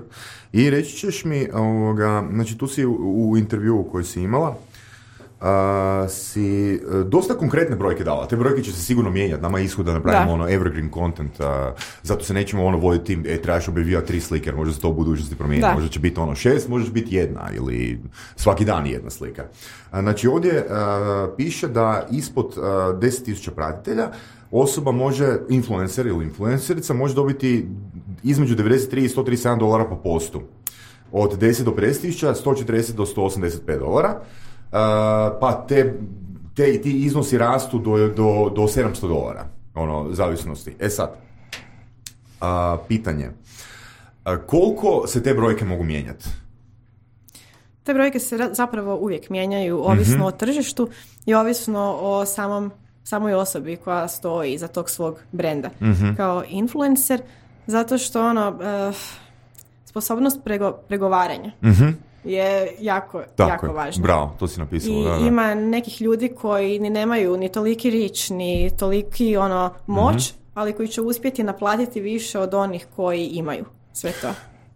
I reći ćeš mi, ovoga, znači tu si u, u intervjuu koji si imala, Uh, si uh, dosta konkretne brojke dala. Te brojke će se sigurno mijenjati. Nama je ishod da napravimo da. ono evergreen content, uh, zato se nećemo ono voditi tim, e, trebaš objavljivati tri slike, jer možda se to u budućnosti promijeni. Možda će biti ono šest, možda će biti jedna ili svaki dan jedna slika. Uh, znači ovdje uh, piše da ispod uh, deset tisuća pratitelja osoba može, influencer ili influencerica, može dobiti između devedeset tri i sto trideset sedam dolara po postu. Od deset do pedeset tisuća, sto četrdeset do sto osamdeset pet dolara. pa te, te, ti iznosi rastu do, do, do sedamsto dolara, ono, zavisnosti. E sad, uh, pitanje, uh, koliko se te brojke mogu mijenjati? Te brojke se zapravo uvijek mijenjaju, ovisno mm-hmm. o tržištu i ovisno o samom, samoj osobi koja stoji iza tog svog brenda. Mm-hmm. Kao influencer, zato što ono, uh, sposobnost prego, pregovaranja mm-hmm. je jako, Tako jako je. važna. Bravo, to si napisala. I da, da. ima nekih ljudi koji ni nemaju ni toliki rič, ni toliki ono, moć, mm-hmm. ali koji će uspjeti naplatiti više od onih koji imaju sve to.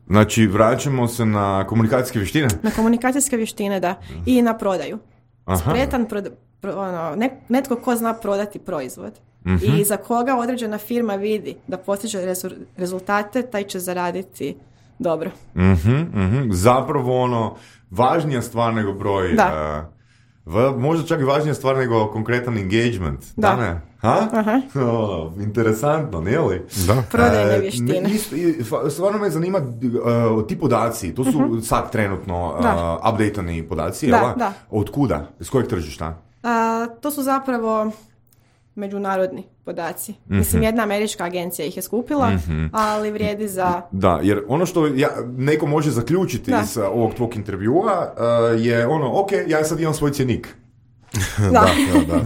Znači, vraćamo se na komunikacijske vještine? Na komunikacijske vještine, da. I na prodaju. Aha. Spretan, proda, pro, ono, ne, netko ko zna prodati proizvod. Mm-hmm. I za koga određena firma vidi da postiže rezu, rezultate, taj će zaraditi dobro. Mm-hmm, mm-hmm. Zapravo ono, važnija stvar nego broj... Da. Uh, v, možda čak i važnija stvar nego konkretan engagement. Da. Da ne? Ha? Aha. Oh, interesantno, nije li? Da. Prodajne vještine. Ne, isto, stvarno me zanima uh, ti podaci, to su uh-huh. sad trenutno uh, updateani podaci, da, jel? Da. Od kuda? Iz kojeg tržišta? Uh, to su zapravo međunarodni podaci. Mm-hmm. Mislim, jedna američka agencija ih je skupila, mm-hmm. ali vrijedi za... Da, jer ono što ja, neko može zaključiti da. iz ovog tvog intervjua uh, je ono, ok, ja sad imam svoj cjenik. Da, da, da. da.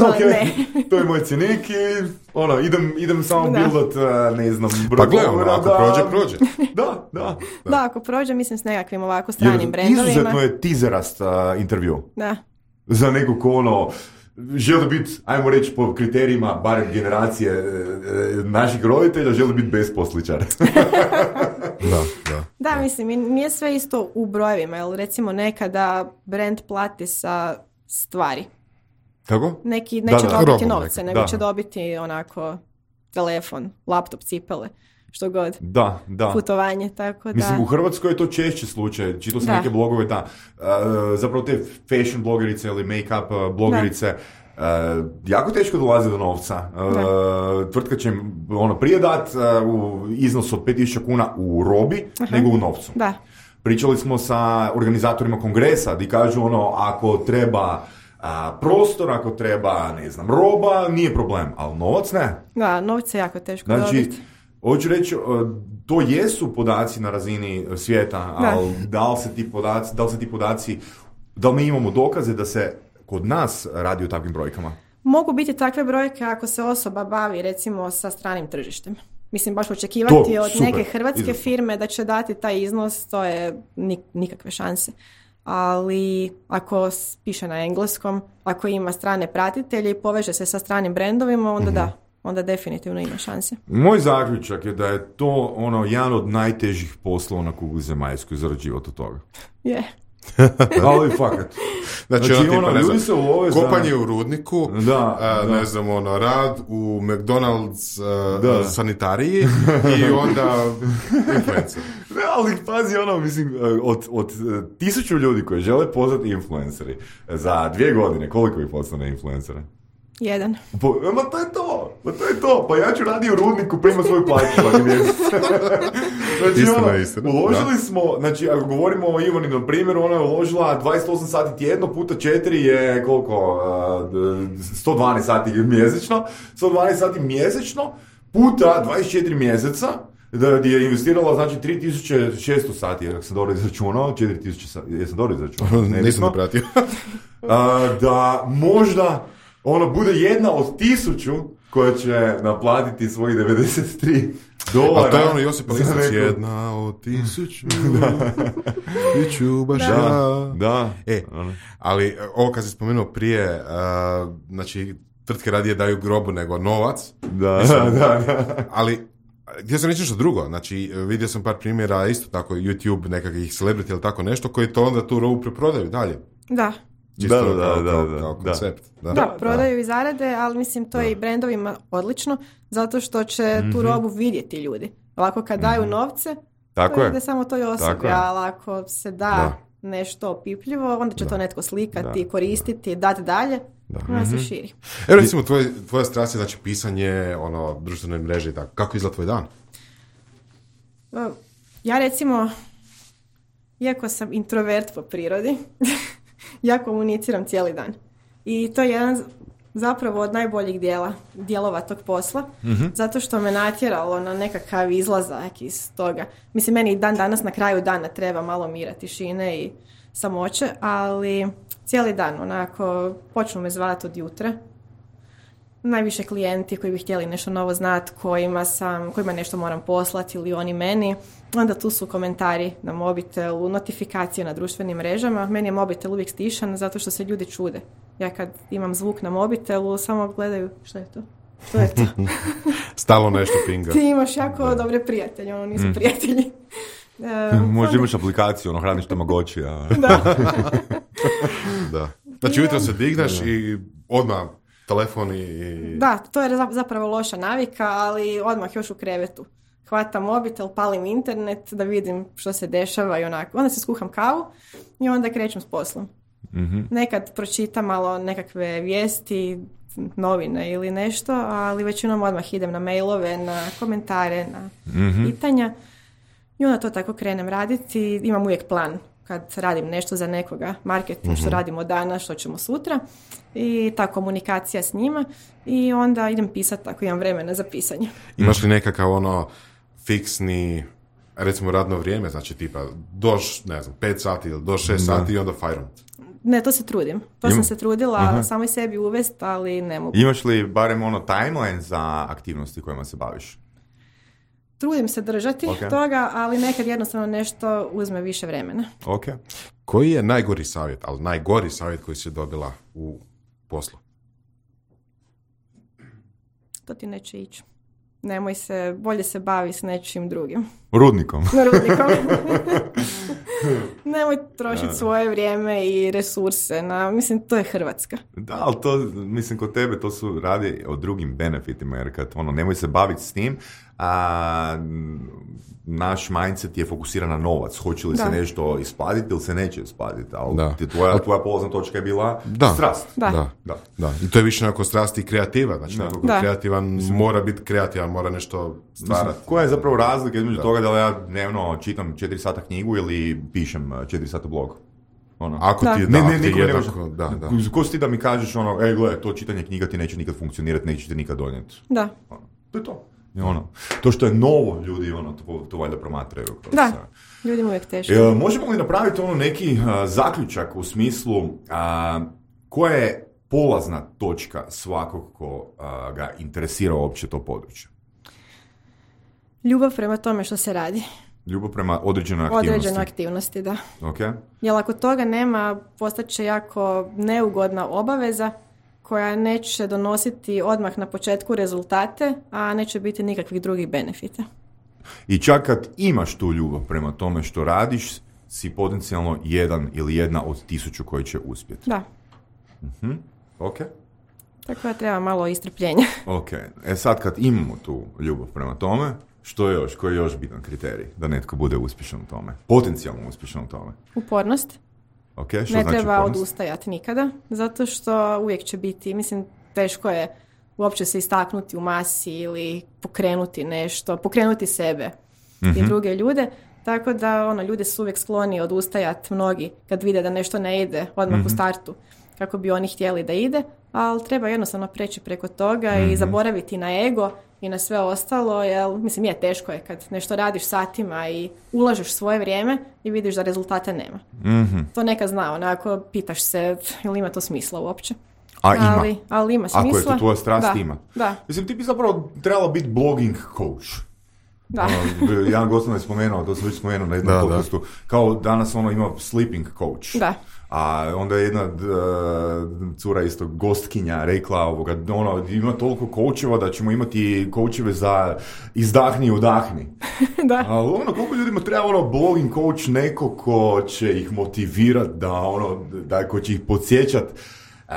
Ok, to je moj cjenik i ono, idem, idem samo da. buildat, ne znam, broj. Pa gledam, ako da, prođe, prođe. Da, da. Da, ako prođe, mislim s nekakvim ovako stranim jer brendovima. Izuzetno je teaserast uh, intervju. Da. Za nekog ko ono, želi biti, ajmo reći po kriterijima, barem generacije e, naših roditelja, želi biti besposličar. Da, da. Da, mislim, nije sve isto u brojevima, jer recimo nekada brand plati sa stvari. Kako? Neki neće da, da. dobiti Robom novce, neka. nego Da. će dobiti onako telefon, laptop, cipele, što god. Da, da. Putovanje, tako da... Mislim, u Hrvatskoj je to češći slučaj. Čitao sam Da. neke blogove, da. Uh, zapravo te fashion blogerice ili make-up uh, blogerice, uh, jako teško dolaze do novca. Uh, tvrtka će im ono, prije dat uh, u iznos od pet tisuća kuna u robi, Aha. nego u novcu. Da. Pričali smo sa organizatorima kongresa, di kažu ono, ako treba a, prostor, ako treba, ne znam, roba, nije problem, ali novac ne. Da, novce je jako teško Znači, dobiti. hoću reći, to jesu podaci na razini svijeta, Da. ali da li se ti podaci, da li se ti podaci, da li mi imamo dokaze da se kod nas radi o takvim brojkama? Mogu biti takve brojke ako se osoba bavi recimo sa stranim tržištem. Mislim, baš očekivati To, od super, neke hrvatske izvrsno. firme da će dati taj iznos, to je nik- nikakve šanse. Ali ako s- piše na engleskom, ako ima strane pratitelje i poveže se sa stranim brendovima, onda mm-hmm. da, onda definitivno ima šanse. Moj zaključak je da je to ono jedan od najtežih poslova na kugli zemaljskoj zarađivati od toga. Je. Ali fakat. Znači, Znači, ono, tipa, ono, ne ljudi znam, se ulove za- kopanje u rudniku, Da, a, da. ne znam, ono, rad u McDonald's a, Da. sanitariji i onda influencer. Ne, ali pazi ono, mislim, od, od tisuću ljudi koji žele postati influenceri, za dvije godine, koliko ih postane influencera? Jedan. Po, ma to je to, ma to je to, pa ja ću radi u rudniku, prima svoju plaću svaki mjesec. Znači, Istina, ono, istina, uložili da. smo, znači, ako govorimo o Ivani, na primjer, ona je uložila dvadeset osam sati tjedno, puta četiri je koliko, uh, sto dvanaest sati mjesečno, sto dvanaest sati mjesečno, puta dvadeset četiri mjeseca, da je investirala, znači, tri tisuće šesto sati, ako sam dobro izračunao, četiri tisuće sati, jesam dobro izračunao? Nisam da pratio. uh, da možda ono bude jedna od tisuću koja će naplatiti svojih devedeset tri dolara. A to je ono Josip za Lisac, neku- jedna od tisuću, i ću baš Da. ja. Da. E, ali ovo kad si spomenuo prije, uh, znači, tvrtke radije daju grobu nego novac. Da, Mislim, da, da. Ali, htio sam reći nešto drugo, znači, vidio sam par primjera, isto tako, YouTube, nekakvih celebrity ili tako nešto, koji to onda tu robu preprodaju dalje. Da. Čisto Da, da, kao, da, kao, da, kao da. koncept. Da, Da, prodaju i zarade, ali mislim to je i brendovima odlično, zato što će tu robu vidjeti ljudi. Ovako kad daju novce, Tako to je. ide samo toj Tako osobi, je. ali ako se da, Da. nešto opipljivo, onda će to netko slikati, Da. koristiti, dati dalje, onda se širi. Evo recimo, tvoj, tvoja strast je, znači, pisanje, ono, društvene mreže i tako. Kako izgleda tvoj dan? Ja recimo, iako sam introvert po prirodi, Ja komuniciram cijeli dan. I to je jedan zapravo od najboljih dijela, dijelova tog posla, mm-hmm. zato što me natjeralo na nekakav izlazak iz toga. Mislim, meni dan danas na kraju dana treba malo mira, tišine i samoće, ali cijeli dan, onako, počnu me zvati od jutra. Najviše klijenti koji bi htjeli nešto novo znati, kojima sam, kojima nešto moram poslati ili oni meni. Onda tu su komentari na mobitelu, notifikacije na društvenim mrežama. Meni je mobitel uvijek stišan zato što se ljudi čude. Ja kad imam zvuk na mobitelu, samo gledaju što je to. Što je to? Stalo nešto pinga. Ti imaš jako da. dobre prijatelje, ono nisu mm. prijatelji. Uh, Možda onda... imaš aplikaciju, ono hraniš Tamagotchi. A... Da. da. Znači ujutro se digneš da. i odmah telefon i... Da, to je zapravo loša navika, ali odmah još u krevetu. Hvatam mobitel, palim internet da vidim što se dešava i onako. Onda se skuham kavu i onda krećem s poslom. Mm-hmm. Nekad pročitam malo nekakve vijesti, novine ili nešto, ali većinom odmah idem na mailove, na komentare, na mm-hmm. pitanja i onda to tako krenem raditi. Imam uvijek plan kad radim nešto za nekoga, marketing, mm-hmm. što radimo danas, što ćemo sutra i ta komunikacija s njima i onda idem pisati ako imam vremena za pisanje. Imaš li nekakav ono fiksni, recimo radno vrijeme, znači tipa do, ne znam, pet sati ili do šest sati i onda fajrom? Ne, to se trudim. To Im... sam se trudila uh-huh. samoj sebi uvest, ali ne mogu. Imaš li barem ono timeline za aktivnosti kojima se baviš? Trudim se držati okay. toga, ali nekad jednostavno nešto uzme više vremena. Okay. Koji je najgori savjet, ali najgori savjet koji si dobila u poslu? To ti neće ići. Nemoj se, bolje se bavi s nečim drugim. Rudnikom. Rudnikom. Nemoj trošiti svoje vrijeme i resurse na, mislim, to je Hrvatska. Da, ali to, mislim, kod tebe to su radi o drugim benefitima, jer kad, ono, nemoj se baviti s tim, a naš mindset je fokusiran na novac. Hoće li da. se nešto isplatiti ili se neće isplatiti, ali da. tvoja, tvoja polazna točka je bila da. strast. Da. Da. Da. Da. I to je više onako strast i kreativa, znači neko kreativan mislim, mora biti kreativan, mora nešto stvarati. Koja je zapravo razlika između da. toga da ja dnevno čitam četiri sata knjigu ili pišem četiri sata blog? Ono. Ako da. ti je ne, da, ne, ti jednako, da, da. Ko si ti da mi kažeš ono, ej gledaj, to čitanje knjiga ti neće nikad funkcionirati, neće ti nikad donijeti. Da. Ono. To je to. I ono, to što je novo, ljudi ono, to, to valjda promatraju. Da, ljudima uvijek teško. E, možemo li napraviti ono neki uh, zaključak u smislu uh, koja je polazna točka svakog ko uh, ga interesira uopće to područje? Ljubav prema tome što se radi. Ljubav prema određenoj aktivnosti. Određenoj aktivnosti, da. Okay. Jer ako toga nema, postaće jako neugodna obaveza koja neće donositi odmah na početku rezultate, a neće biti nikakvih drugih benefita. I čak kad imaš tu ljubav prema tome što radiš, si potencijalno jedan ili jedna od tisuću koji će uspjeti. Da. Uh-huh. Ok. Tako da treba malo istrpljenja. Ok. E sad kad imamo tu ljubav prema tome, što je još, koji je još bitan kriterij da netko bude uspješan u tome? Potencijalno uspješan u tome? Upornost. Okay, ne znači treba upornost? odustajati nikada, zato što uvijek će biti, mislim, teško je uopće se istaknuti u masi ili pokrenuti nešto, pokrenuti sebe mm-hmm. i druge ljude, tako da ono, ljudi su uvijek skloni odustajati mnogi kad vide da nešto ne ide odmah mm-hmm. u startu kako bi oni htjeli da ide, ali treba jednostavno preći preko toga mm-hmm. i zaboraviti na ego i na sve ostalo, jer mislim je teško je kad nešto radiš satima i ulažeš svoje vrijeme i vidiš da rezultata nema. Mm-hmm. To neka zna, onako pitaš se ili ima to smisla uopće. A ima. Ali, ali ima smisla. Ako je to tvoja strast, da, ima. Da. Mislim, ti bi zapravo trebala biti blogging coach. Da. Ono, jedan gost je spomenuo, to sam već spomenuo na jednom podcastu, kao danas ono ima sleeping coach. Da. A onda je jedna uh, cura isto gostkinja rekla ovoga, ono, ima toliko coacheva da ćemo imati coacheve za izdahni i udahni. Da. Ali ono, koliko ljudima treba ono blogging coach, neko ko će ih motivirati da ono, da ko će ih podsjećati.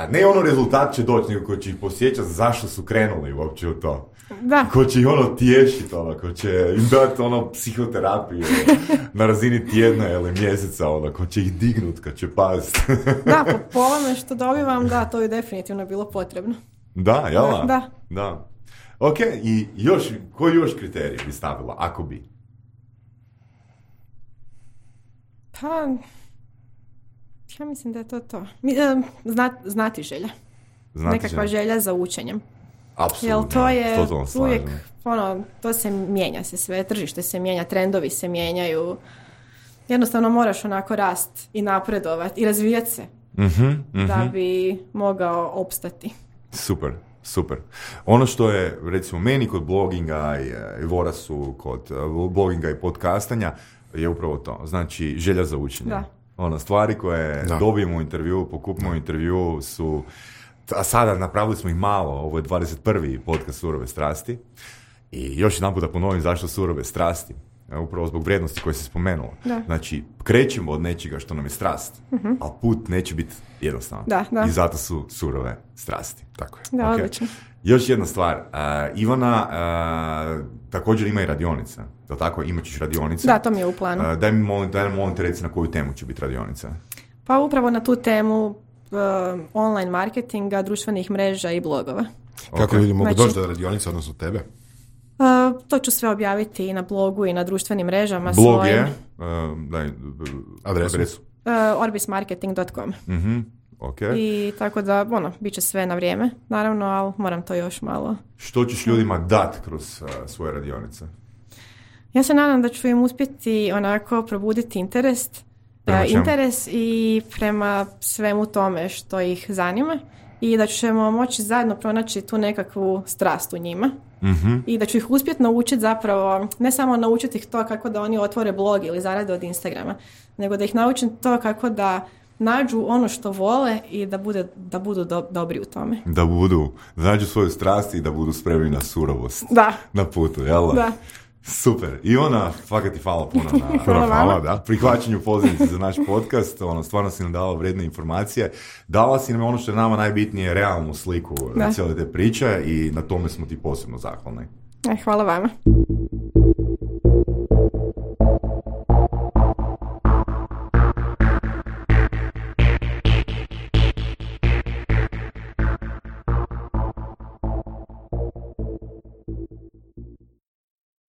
Ne ono rezultat će doći, nego ko će ih posjećati zašto su krenuli uopće u to. Da. Ko će ih ono tješiti, ono, ko će im dati ono psihoterapiju na razini tjedna ili mjeseca, ono, ko će ih dignut kad će pasti. Da, po, po ovome što dobivam, da, to je definitivno bilo potrebno. Da, jel? Da, da. Da. Ok, i još, koji još kriterij bi stavila, ako bi? Pa... Ja mislim da je to to. Zna, znati želja. Znati Nekakva želja. želja za učenjem. Apsolutno. Jel to je to uvijek, ono, to se mijenja se sve, tržište se mijenja, trendovi se mijenjaju. Jednostavno moraš onako rast i napredovati i razvijati se mm-hmm, mm-hmm. da bi mogao opstati. Super. Super. Ono što je, recimo, meni kod bloginga i, i Vorasu kod uh, bloginga i podcastanja je upravo to. Znači, želja za učenje. Da. Ono, stvari koje da. dobijemo u intervju, pokupimo u intervju su, a sada napravili smo ih malo, ovo je dvadeset prvi podcast Surove strasti i još jedan put da ponovim zašto Surove strasti. Upravo zbog vrijednosti koje si spomenula. Da. Znači, krećemo od nečega što nam je strast, uh-huh. ali put neće biti jednostavan. Da, da. I zato su surove strasti. Tako je. Da, okay. odlično. Još jedna stvar. Uh, Ivana uh, također ima i radionica. Da tako? Imat ćeš radionice. Da, to mi je u planu. Uh, daj mi molim, daj mi molim te reci na koju temu će biti radionica. Pa upravo na tu temu uh, online marketinga, društvenih mreža i blogova. Kako okay. ljudi mogu znači, doći do radionice, odnosno tebe? Uh, to ću sve objaviti i na blogu i na društvenim mrežama. Blog svojim. je? Uh, daj, adresu? adresu. Uh, orbis marketing dot com. Mhm. Okay. I tako da, ono, bit će sve na vrijeme, naravno, ali moram to još malo. Što ćeš ljudima dati kroz uh, svoje radionice? Ja se nadam da ću im uspjeti onako probuditi interes, uh, interes i prema svemu tome što ih zanima i da ćemo moći zajedno pronaći tu nekakvu strast u njima. Mm-hmm. I da ću ih uspjeti naučiti zapravo, ne samo naučiti ih to kako da oni otvore blog ili zarade od Instagrama, nego da ih naučim to kako da nađu ono što vole i da, bude, da budu do, dobri u tome. Da budu, da nađu svoju strast i da budu spremni na surovost. Da. Na putu, jel da? Da. Super. Ivana, fakat ti hvala puno na hvala hvala, da, prihvaćanju pozivnice za naš podcast. Ono, stvarno si nam dala vrijedne informacije. Dala si nam ono što je nama najbitnije, realnu sliku na cijele te priče i na tome smo ti posebno zahvalni. Hvala vama.